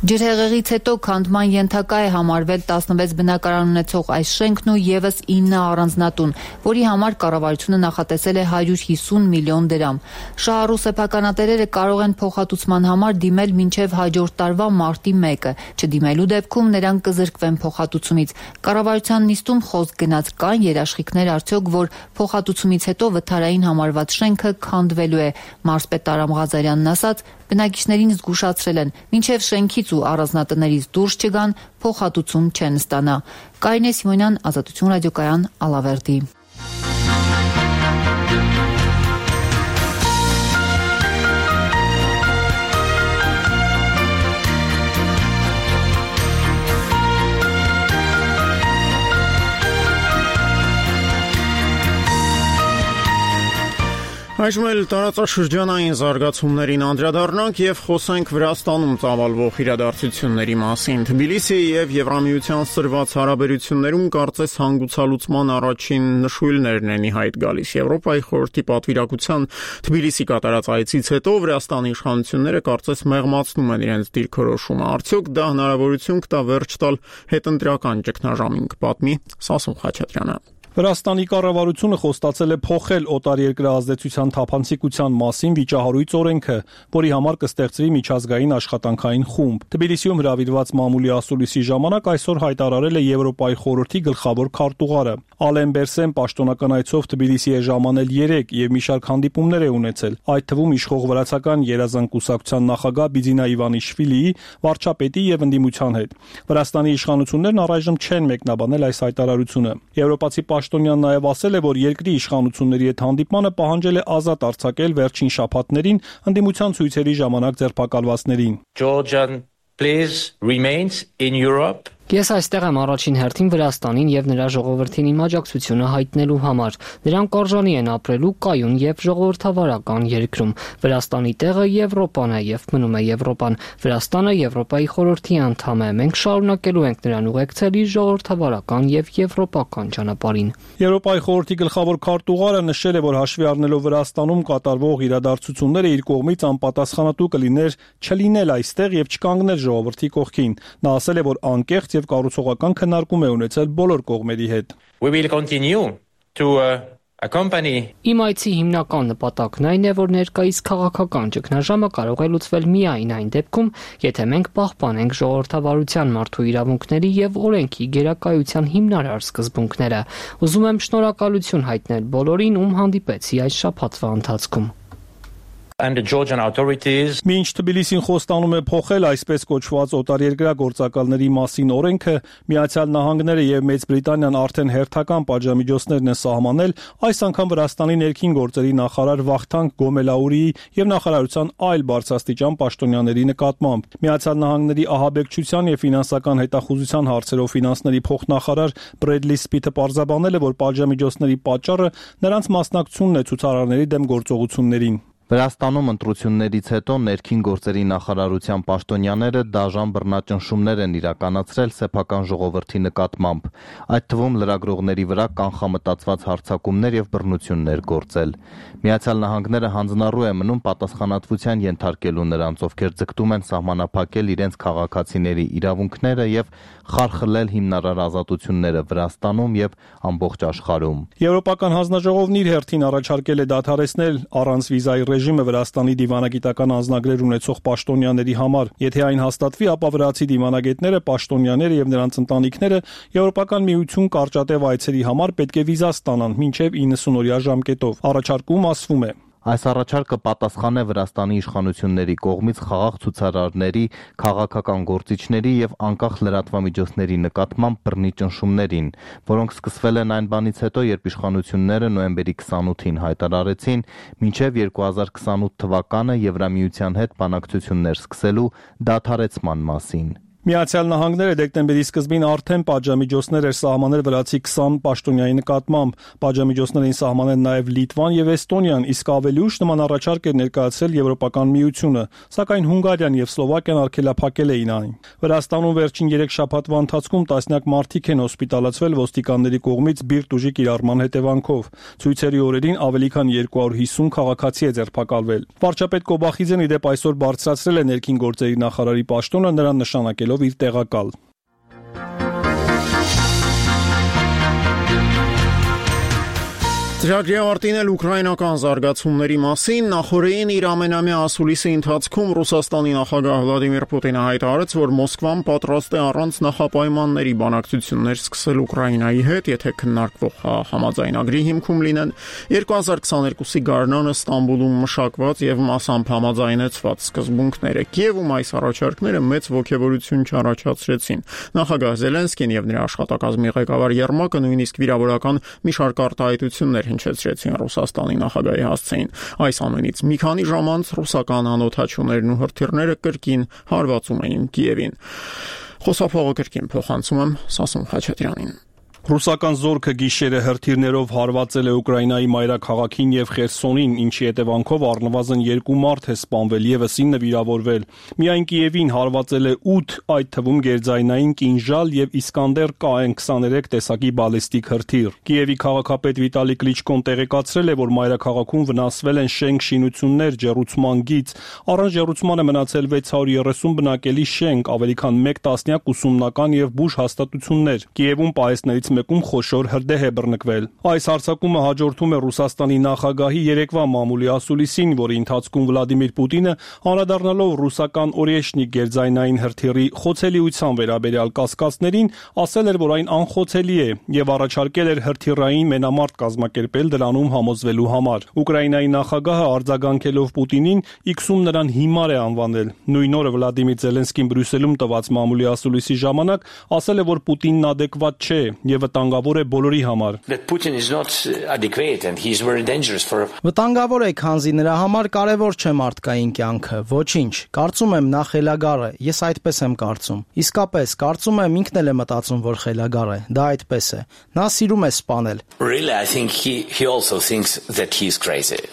Ջրհեղեղից հետո քանդման ենթակա է համարվել 16 բնակարան ունեցող այս շենքն ու եւս 9 առանձնատուն, որի համար կառավարությունը նախատեսել է 150 միլիոն դրամ։ Շահառու սեփականատերերը կարող են փոխհատուցման համար դիմել մինչև հաջորդ տարվա մարտի 1-ը, չդիմելու դեպքում նրանք կզրկվեն փոխհատուցումից։ Կառավարության նիստում խոսք գնաց կան երաշխիքներ արդյոք, որ փոխհատուցումից հետո վթարային համարված շենքը քանդվելու է։ Մարզպետ Արամ Ղազարյանն ասաց, բնակիչներին զգուշացրել են, մինչև շենքից ու առանձնատներից դուրս չգան, փոխհատուցում չեն ստանա։ Կարինե Սիմոնյան, Ազատություն ռադիոկայան, Ալավերդի։ Այժմ էլ տարածաշրջանային զարգացումներին անդրադառնանք եւ խոսենք Վրաստանում ծավալվող իրադարձությունների մասին։ Թբիլիսիի եւ Եվրամիության սրված հարաբերություններում կարծես հանգուցալուծման առաջին նշույլներն են ի հայտ գալիս։ Եվրոպայի խորհրդի պատվիրակության Թբիլիսի կատարած այցից հետո Վրաստանի իշխանությունները կարծես մեղմացնում են իրենց դիրքորոշումը։ Արդյոք դա հնարավորություն կտա վերջ տալ հետընտրական ճգնաժամին, կպատմի Սասուն Խաչատրյանը։ Վրաստանի կառավարությունը խոստացել է փոխել օտարերկրյա ազդեցության թափանցիկության մասին վիճահարույց օրենքը, որի համար կստեղծվի միջազգային աշխատանքային խումբ։ Թբիլիսիում հրավիրված մամուլի ասուլիսի ժամանակ այսօր հայտարարել է Եվրոպայի խորհրդի գլխավոր քարտուղարը։ Ալեն Բերսեն պաշտոնական այցով Թբիլիսի է ժամանել 3 եւ մի շարք հանդիպումներ է ունեցել, այդ թվում իշխող վրացական երազանք կուսակցության նախագահ Բիձինա Իվանիշվիլիի, վարչապետի եւ ընդդիմության հետ։ Վրաստանի իշխանություններն առայժմ չեն մեկնաբանել այս հայտարարությունը։ Եվրոպացի Պաշտոնյան նաև ասել է, որ երկրի իշխանությունների հետ հանդիպմանը պահանջել է ազատ արձակել վերջին շաբաթներին ընդդիմության ցույցերի ժամանակ ձերբակալվածներին։ Georgian please remains in Europe. Ես այստեղ եմ առաջին հերթին Վրաստանին եւ նրա ժողովրդին իմ աջակցությունը հայտնելու համար։ Նրանք արժանի են ապրելու կայուն եւ ժողովրդավարական երկրում։ Վրաստանի տեղը Եվրոպան է եւ մնում է Եվրոպան։ Վրաստանը Եվրոպայի խորհրդի անդամ է։ Մենք շարունակելու ենք նրան ուղեկցել իր ժողովրդավարական եւ եվրոպական ճանապարհին։ Եվրոպայի խորհրդի գլխավոր քարտուղարը նշել է, որ հաշվի առնելով Վրաստանում կատարվող իրադարձությունները իր կողմից անպատասխանատու կլիներ չլինել այստեղ եւ չկանգնել ժողովրդի կողքին։ Նա ասել է, որ անկեղծ եւ կառուցողական քննարկում է ունեցել բոլոր կողմերի հետ։ We will continue to accompany. Իմ այցի հիմնական նպատակն այն է, որ ներկայիս քաղաքական ճգնաժամը կարող է լուծվել միայն այն դեպքում, եթե մենք պահպանենք ժողովրդավարության մարդու իրավունքների եւ օրենքի գերակայության հիմնարար սկզբունքները։ Ուզում եմ շնորհակալություն հայտնել բոլորին, ում հանդիպեցի այս շաբաթվա ընթացքում։ And the Georgian authorities. Մինչ Թբիլիսին խոստանում է փոխել այսպես կոչված օտարերկրյա գործակալների մասին օրենքը, Միացյալ Նահանգները եւ Մեծ Բրիտանիան արդեն հերթական պատժամիջոցներն են սահմանել այս անգամ Վրաստանի ներքին գործերի նախարար Վախթանգ Գոմելաուրիի եւ նախարարության այլ բարձրաստիճան պաշտոնյաների նկատմամբ։ Միացյալ Նահանգների ահաբեկչության եւ ֆինանսական հետախուզության հարցերով ֆինանսների փոխնախարար Բրեդլի Սպիթը պարզաբանել է, որ պատժամիջոցների պատճառը նրանց մասնակցությունն է ցուցարարների դեմ գործողություններին։ Վրաստանում ընտրություններից հետո ներքին գործերի նախարարության պաշտոնյաները դաժան բռնաճնշումներ են իրականացրել սեփական ժողովրդի նկատմամբ, այդ թվում լրագրողների վրա կանխամտածված հարձակումներ եւ բռնություններ գործել։ Միացյալ Նահանգները հանձնառու է մնում պատասխանատվության ենթարկելու նրանց, ովքեր ձգտում են սահմանափակել իրենց քաղաքացիների իրավունքները եւ խարխլել հիմնարար ազատությունները Վրաստանում եւ ամբողջ աշխարհում։ Եվրոպական հանձնաժողովն իր հերթին առաջարկել է դադարեցնել առանց վիզայի ռեժիմը Վրաստանի դիվանագիտական անձնագրեր ունեցող պաշտոնյաների համար։ Եթե այն հաստատվի, ապա վրացի դիվանագետները, պաշտոնյաները եւ նրանց ընտանիքները Եվրոպական միություն կարճատև այցերի համար պետք է վիզա ստանան մինչեւ 90 օրյա ժամկետով։ Առաջարկում ասվում է. Այս առաջարկը պատասխան է Վրաստանի իշխանությունների կողմից խաղաղ ցուցարարների, քաղաքական գործիչների եւ անկախ լրատվամիջոցների նկատմամբ բռնի ճնշումներին, որոնք սկսվել են այն բանից հետո, երբ իշխանությունները նոյեմբերի 28-ին հայտարարեցին մինչեւ 2028 թվականը Եվրամիության հետ բանակցություններ սկսելու դադարեցման մասին։ Միացյալ Նահանգները դեկտեմբերի սկզբին արդեն պատժամիջոցներ էր սահմանել վրացի 20 պաշտոնյայի նկատմամբ։ Պատժամիջոցներ էին սահմանել նաև Լիտվան եւ Էստոնիան, իսկ ավելի ուշ նման առաջարկ էր ներկայացրել Եվրոպական միությունը, սակայն Հունգարիան եւ Սլովակիան արգելափակել էին այն։ Վրաստանում վերջին 3 շաբաթվա ընթացքում տասնյակ մարդիկ են հոսպիտալացվել ոստիկանների կողմից բիրտ ուժի կիրառման հետևանքով։ Ցույցերի օրերին ավելի քան 250 քաղաքացի է ձերբակալվել։ Վարչապետ Կոբախիձյանը ի դեպ այսօր բարձրացրել է ներքին գործերի նախարարի պաշտոնը, նրան նշանակելով իր տեղակալ։ Ծրագրի ավարտին էլ ուկրաինական զարգացումների մասին նախորդին իր ամենամյա ասուլիսի ընթացքում Ռուսաստանի նախագահ Վլադիմիր Պուտինը հայտարարեց, որ Մոսկվան պատրաստ է առանց նախապայմանների բանակցություններ սկսել Ուկրաինայի հետ, եթե քննարկվող համաձայնագրի հիմքում լինեն 2022-ի գարնանը Ստամբուլում մշակված եւ մասամբ համաձայնեցված սկզբունքները։ Կիևում այս առաջարկները մեծ ոգևորություն չառաջացրեցին։ Նախագահ Զելենսկին եւ նրա աշխատակազմի ղեկավար Երմակը նույնիսկ վիրավորական մի շարք արտահայտություններ հնչեցրեցին Ռուսաստանի նախագահի հասցեին։ Այս ամենից մի քանի ժամ անց ռուսական անօթաչուներն ու հրթիռները կրկին հարվածում էին Կիևին։ Խոսափողը կրկին փոխանցում եմ Սասուն Խաչատրյանին։ Ռուսական զորքը գիշերը հրթիռներով հարվածել է Ուկրաինայի մայրաքաղաքին եւ Խերսոնին, ինչի հետևանքով առնվազն 2 մարդ է սպանվել, եւս 9 վիրավորվել։ Միայն Կիևին հարվածել է 8, այդ թվում գերձայնային կինժալ եւ Իսկանդեր KN-23 տեսակի բալիստիկ հրթիռ։ Կիևի քաղաքապետ Վիտալի Կլիչկոն տեղեկացրել է, որ մայրաքաղաքում վնասվել են շենք շինություններ, ջեռուցման գիծ, առանց ջեռուցմանը մնացել 630 բնակելի շենք, ավելի քան 1 տասնյակ ուսումնական եւ բուժ հաստատություններ։ Կիևում պահեստներից մեկում խոշոր հրդեհ է բռնկվել։ Այս հարձակումը հաջորդում է Ռուսաստանի նախագահի երեկվա մամուլի ասուլիսին, որի ընթացքում Վլադիմիր Պուտինը անդրադառնալով ռուսական օրեշնիկ գերձայնային հրթիռի խոցելիության վերաբերյալ կասկածներին, ասել էր, որ այն անխոցելի է եւ առաջարկել էր հրթիռային մենամարտ կազմակերպել դրանում համոզվելու համար։ Ուկրաինայի նախագահը արձագանքելով Պուտինին X-ում նրան հիմար է անվանել։ Նույն օրը Վլադիմիր Զելենսկին Բրյուսելում տված մամուլի ասուլիսի ժամանակ ասել է, որ Պուտինն adekvat չէ եւ վտանգավոր է բոլորի համար։ Վտանգավոր է, քանզի նրա համար կարևոր չէ մարդկային կյանքը, ոչինչ։ Կարծում եմ նա խելագար է, ես այդպես եմ կարծում։ Իսկապես, կարծում եմ ինքն էլ է մտածում, որ խելագար է։ Դա այդպես է։ Նա սիրում է սպանել։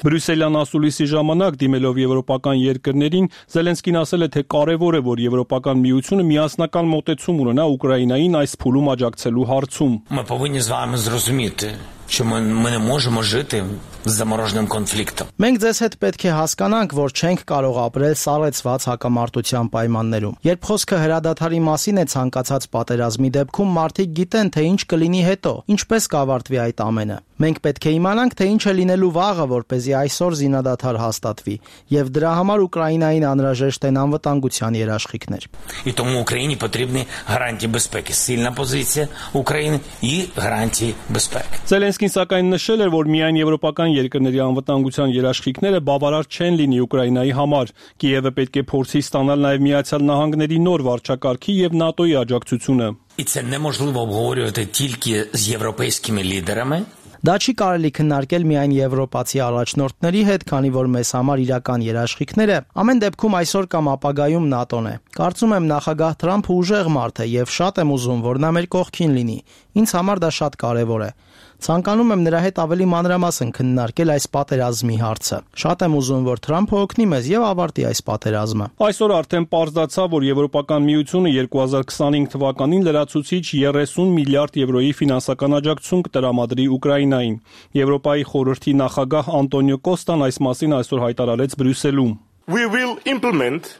Բրյուսելյան ասուլիսի ժամանակ դիմելով եվրոպական երկրներին Զելենսկին ասել է, թե կարևոր է, որ Եվրոպական միությունը միասնական մոտեցում ունենա Ուկրաինային այս փուլում աջակցելու հարցում։ Ми повинні з вами зрозуміти, що ми не можемо жити з замороженим конфліктом. Մենք ձեզ հետ պետք է հասկանանք, որ չենք կարող ապրել սառեցված հակամարտության պայմաններում։ Երբ խոսքը հրադադարի մասին է ցանկացած պատերազմի դեպքում, մարդիկ գիտեն, թե ինչ կլինի հետո, ինչպես կավարտվի այդ ամենը։ Մենք պետք է իմանանք, թե ինչ է լինելու վաղը, որպեսզի այսօր զինադադար հաստատվի, եւ դրա համար Ուկրաինային անհրաժեշտ են անվտանգության երաշխիքներ։ І тому Україні потрібні гарантії безпеки, сильна позиція України і гарантії безпеки. Զելենսկին սակայն նշել էր, որ միայն եվրոպական երկրների անվտանգության երաշխիքները բավարար չեն լինի Ուկրաինայի համար։ Կիևը պետք է փորձի ստանալ նաև Միացյալ Նահանգների նոր վարչակարգի եւ ՆԱՏՕ-ի աջակցությունը։ І це неможливо обговорювати тільки з європейськими лідерами. Դա չի կարելի քննարկել միայն եվրոպացի առաջնորդների հետ, քանի որ մեզ համար իրական երաշխիքները ամեն դեպքում այսօր կամ ապագայում ՆԱՏՕ-ն է։ Կարծում եմ նախագահ Թրամփը ուժեղ մարդ է եւ շատ եմ ուզում, որ նա մեր կողքին լինի։ Ինձ համար դա շատ կարեւոր է։ Ցանկանում եմ նրա հետ ավելի մանրամասն քննարկել այս պատերազմի հարցը։ Շատ եմ ուզում, որ Թրամփը օգնի մեզ եւ ավարտի այս պատերազմը։ Այսօր արդեն պարզացավ, որ Եվրոպական միությունը 2025 թվականին լրացուցիչ 30 միլիարդ եվրոյի ֆինանսական աջակցություն կտրամադրի Ուկրաինային։ Եվրոպայի խորհրդի նախագահ Անտոնիո Կոստան այս մասին այսօր հայտարարեց Բրյուսելում։ We will implement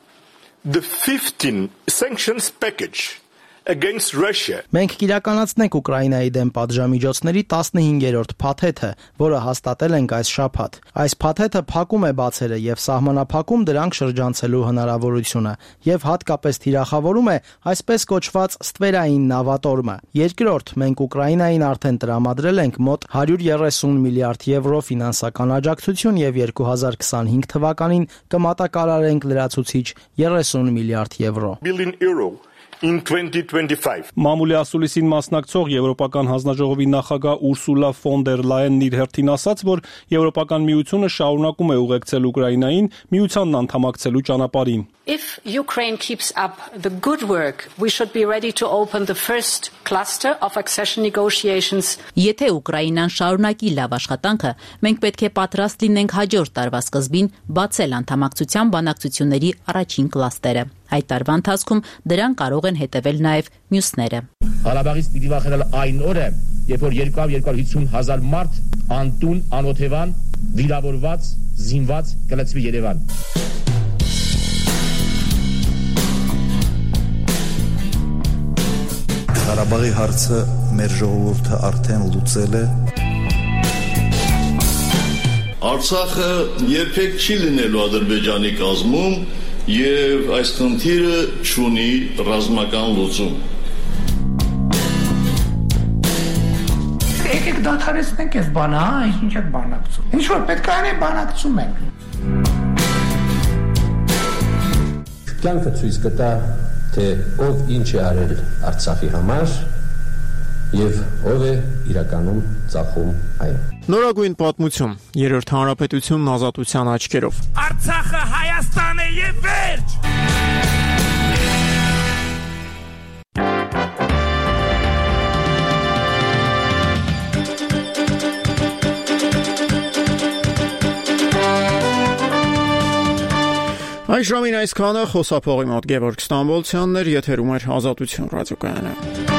the 15 sanctions package against Russia. Մենք կիրականացնենք Ուկրաինայի դեմ պատժամիջոցների 15-րդ փաթեթը, որը հաստատել ենք այս շաբաթ։ Այս փաթեթը փակում է բացերը եւ սահմանափակում դրանք շրջանցելու հնարավորությունը եւ հատկապես թիրախավորում է այսպես կոչված ստվերային նավատորմը։ Երկրորդ, մենք Ուկրաինային արդեն տրամադրել ենք մոտ 130 միլիարդ եվրո ֆինանսական աջակցություն եւ 2025 թվականին կմատակարարենք լրացուցիչ 30 միլիարդ եվրո։ €1 billion in 2025. Մամուլի ասուլիսին մասնակցող Եվրոպական հանձնաժողովի նախագահ Ուրսուլա ֆոն դեր Լայենն իր հերթին ասաց, որ Եվրոպական միությունը շարունակում է ուղեկցել Ուկրաինային միությանն անդամակցելու ճանապարհին. If Ukraine keeps up the good work, we should be ready to open the first cluster of accession negotiations. Եթե Ուկրաինան շարունակի լավ աշխատանքը, մենք պետք է պատրաստ լինենք հաջորդ տարվա սկզբին բացել անդամակցության բանակցությունների առաջին կլաստերը։ Այդ տարվա ընթացքում դրան կարող են հետևել նաև մյուսները։ Ղարաբաղից պիտի վախենալ այն օրը, երբ որ 250,000 մարդ անտուն, անօթևան, վիրավորված, զինված կլցվի Երևան։ Ղարաբաղի հարցը մեր ժողովուրդը արդեն լուծել է։ Արցախը երբեք չի լինելու Ադրբեջանի կազմում եւ այս խնդիրը չունի ռազմական լուծում։ Եկեք դադարեցնենք այս բանը, ինչ է բանակցում։ Ինչ որ պետք է անենք, բանակցում ենք։ Կյանքը ցույց կտա, թե ով ինչ է արել Արցախի համար եւ ով է իրականում ծախում այն։ Նորագույն պատմություն, Երրորդ հանրապետությունն ազատության աչքերով։ Արցախը Հայաստան է եւ վերջ։ Այս ժամին այսքանը խոսափողի մոտ Գևորգ Ստամբոլցյանն էր, եթերում էր Ազատություն ռադիոկայանը։